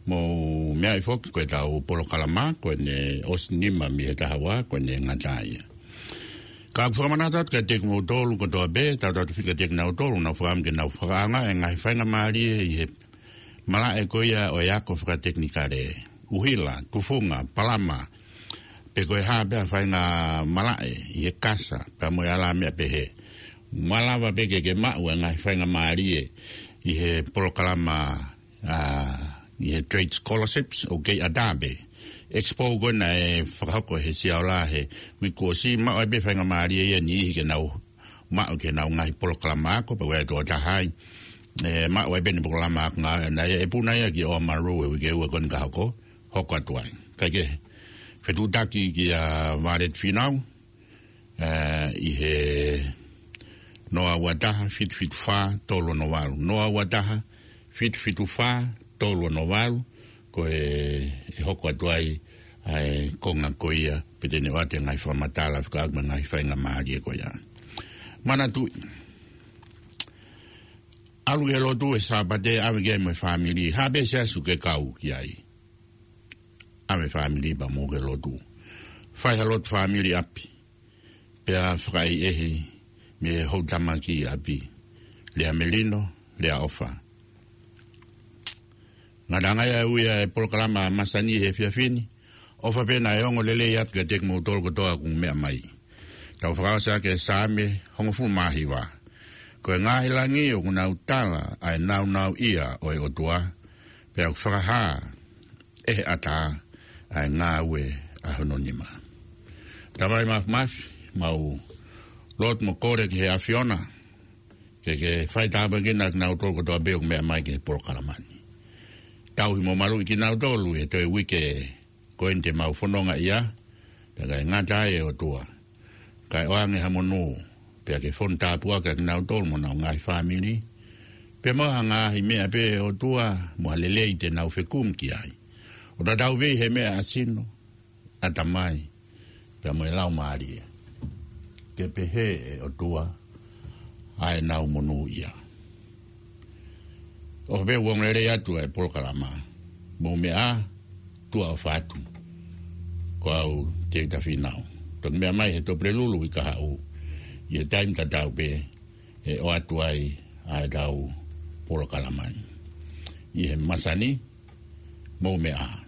mou meaʻi foki ko ʻetau polokalama, ko ʻene ʻosi nima mei he taha ua, ko ʻene ngata ia. Ka ʻoku fakamanatu atu kiate kimoutolu kotoa pē, tautautefito kiate kinautolu, nau fakaʻamu ke nau fakaʻaongaʻi e ngaahi faingamālie ʻi he malaʻe ko ia ʻo e ako fakatekinikale, ʻuhila, tufunga, palama, pe ko e hā pē ha faingamālie ʻi he kasa, pea mo e ala meʻa pehē. Malava pē ke ke maʻu e ngaahi faingamālie ʻi he polokalama, ʻa, ʻi he trade scholarships ʻoku kei ʻatā pē. Expo ko ena ʻe fakahoko he Siaola he uike kuo ʻosi, maʻu ai pē faingamālie ia ʻe niʻihi ke nau maʻu ki heʻenau ngaahi polokalama ako, pea ʻoku ʻi ai e tokotaha ia ʻe maʻu ai pē ʻene polokalama ako ngāue ʻana ia, ʻe puna ia ki Oamaru he uike ua ko eni ka hoko, hoko atu ai. Kae kehe, fetuʻutaki kia Violet Finau, ʻa, ʻi he noa ua taha, fitu fitu fā, tolu ono valu. Noa ua taha, fitu fitu fā, tolu ono valu, ko e, ʻe hoko atu ai ʻa e konga ko ia, pe te ne ʻoatu e ngaahi fakamatala, fekauʻaki mo e ngaahi faingamālie ko ia. Manatuʻi, ʻalu ki he lotu he Sāpate, ʻave ki ai mo e fāmili, ha pē siasi ʻoku ke kau ki ai. ʻAve fāmili pea mou ki he lotu. Fai ha lotu fāmili ʻi ʻapi. Pea fakaʻehiʻehi mei he houʻeiki ʻi ʻapi. Lea melino, lea ʻofa. Ngataʻanga ia ʻa e ui ʻa e polokalama masani he efiafi ni. ʻOfa pē naʻe ongo lelei atu kiate kimoutolu kotoa ʻoku meʻa mai. Tau fakaʻosi ʻaki e Saame hongofulu mā hiva. Ko e ngaahi langi ʻoku nau tala ʻa e nāunauʻia ʻo e ʻOtua, pea ʻoku fakahā ʻe he ʻatā ʻa e ngāue ʻa hono nima. Tamai Māfimafi, mau lotu mo kole ki he ʻAfiona, ke ke fai tāpuekina kinautolu kotoa pē ʻoku meʻa mai ki he polokalama ni. Tauhi mo maluʻi kinautolu he toe uike ko eni te mau fononga ia, pea kae ngata ai ʻe ʻOtua. Kae ʻoange ha monū, pea ke fonu tāpuaki kinautolu mo honau ngaahi fāmili. Pea mo ha ngaahi meʻa pē ʻe ʻOtua, mo ha lelei te nau fekumi ki ai. ʻO tatau pē he meʻa ʻa sino, ʻatamai, pea mo e laumālie. Ke pehē ʻe ʻOtua ʻa ʻenau monūʻia. ʻOfa pē ʻoku ongo lelei atu ʻa e polokalama. Mou meʻa ā, tuʻa ʻofa atu. Ko au Tēvita Fīnau. Toki meʻa mai he Tuʻapulelulu ʻi Kahaʻu. ʻI he taimi tatau pē ʻe ʻoatu ai ʻa ʻetau polokalama ni. ʻI he masani, mou meʻa ā.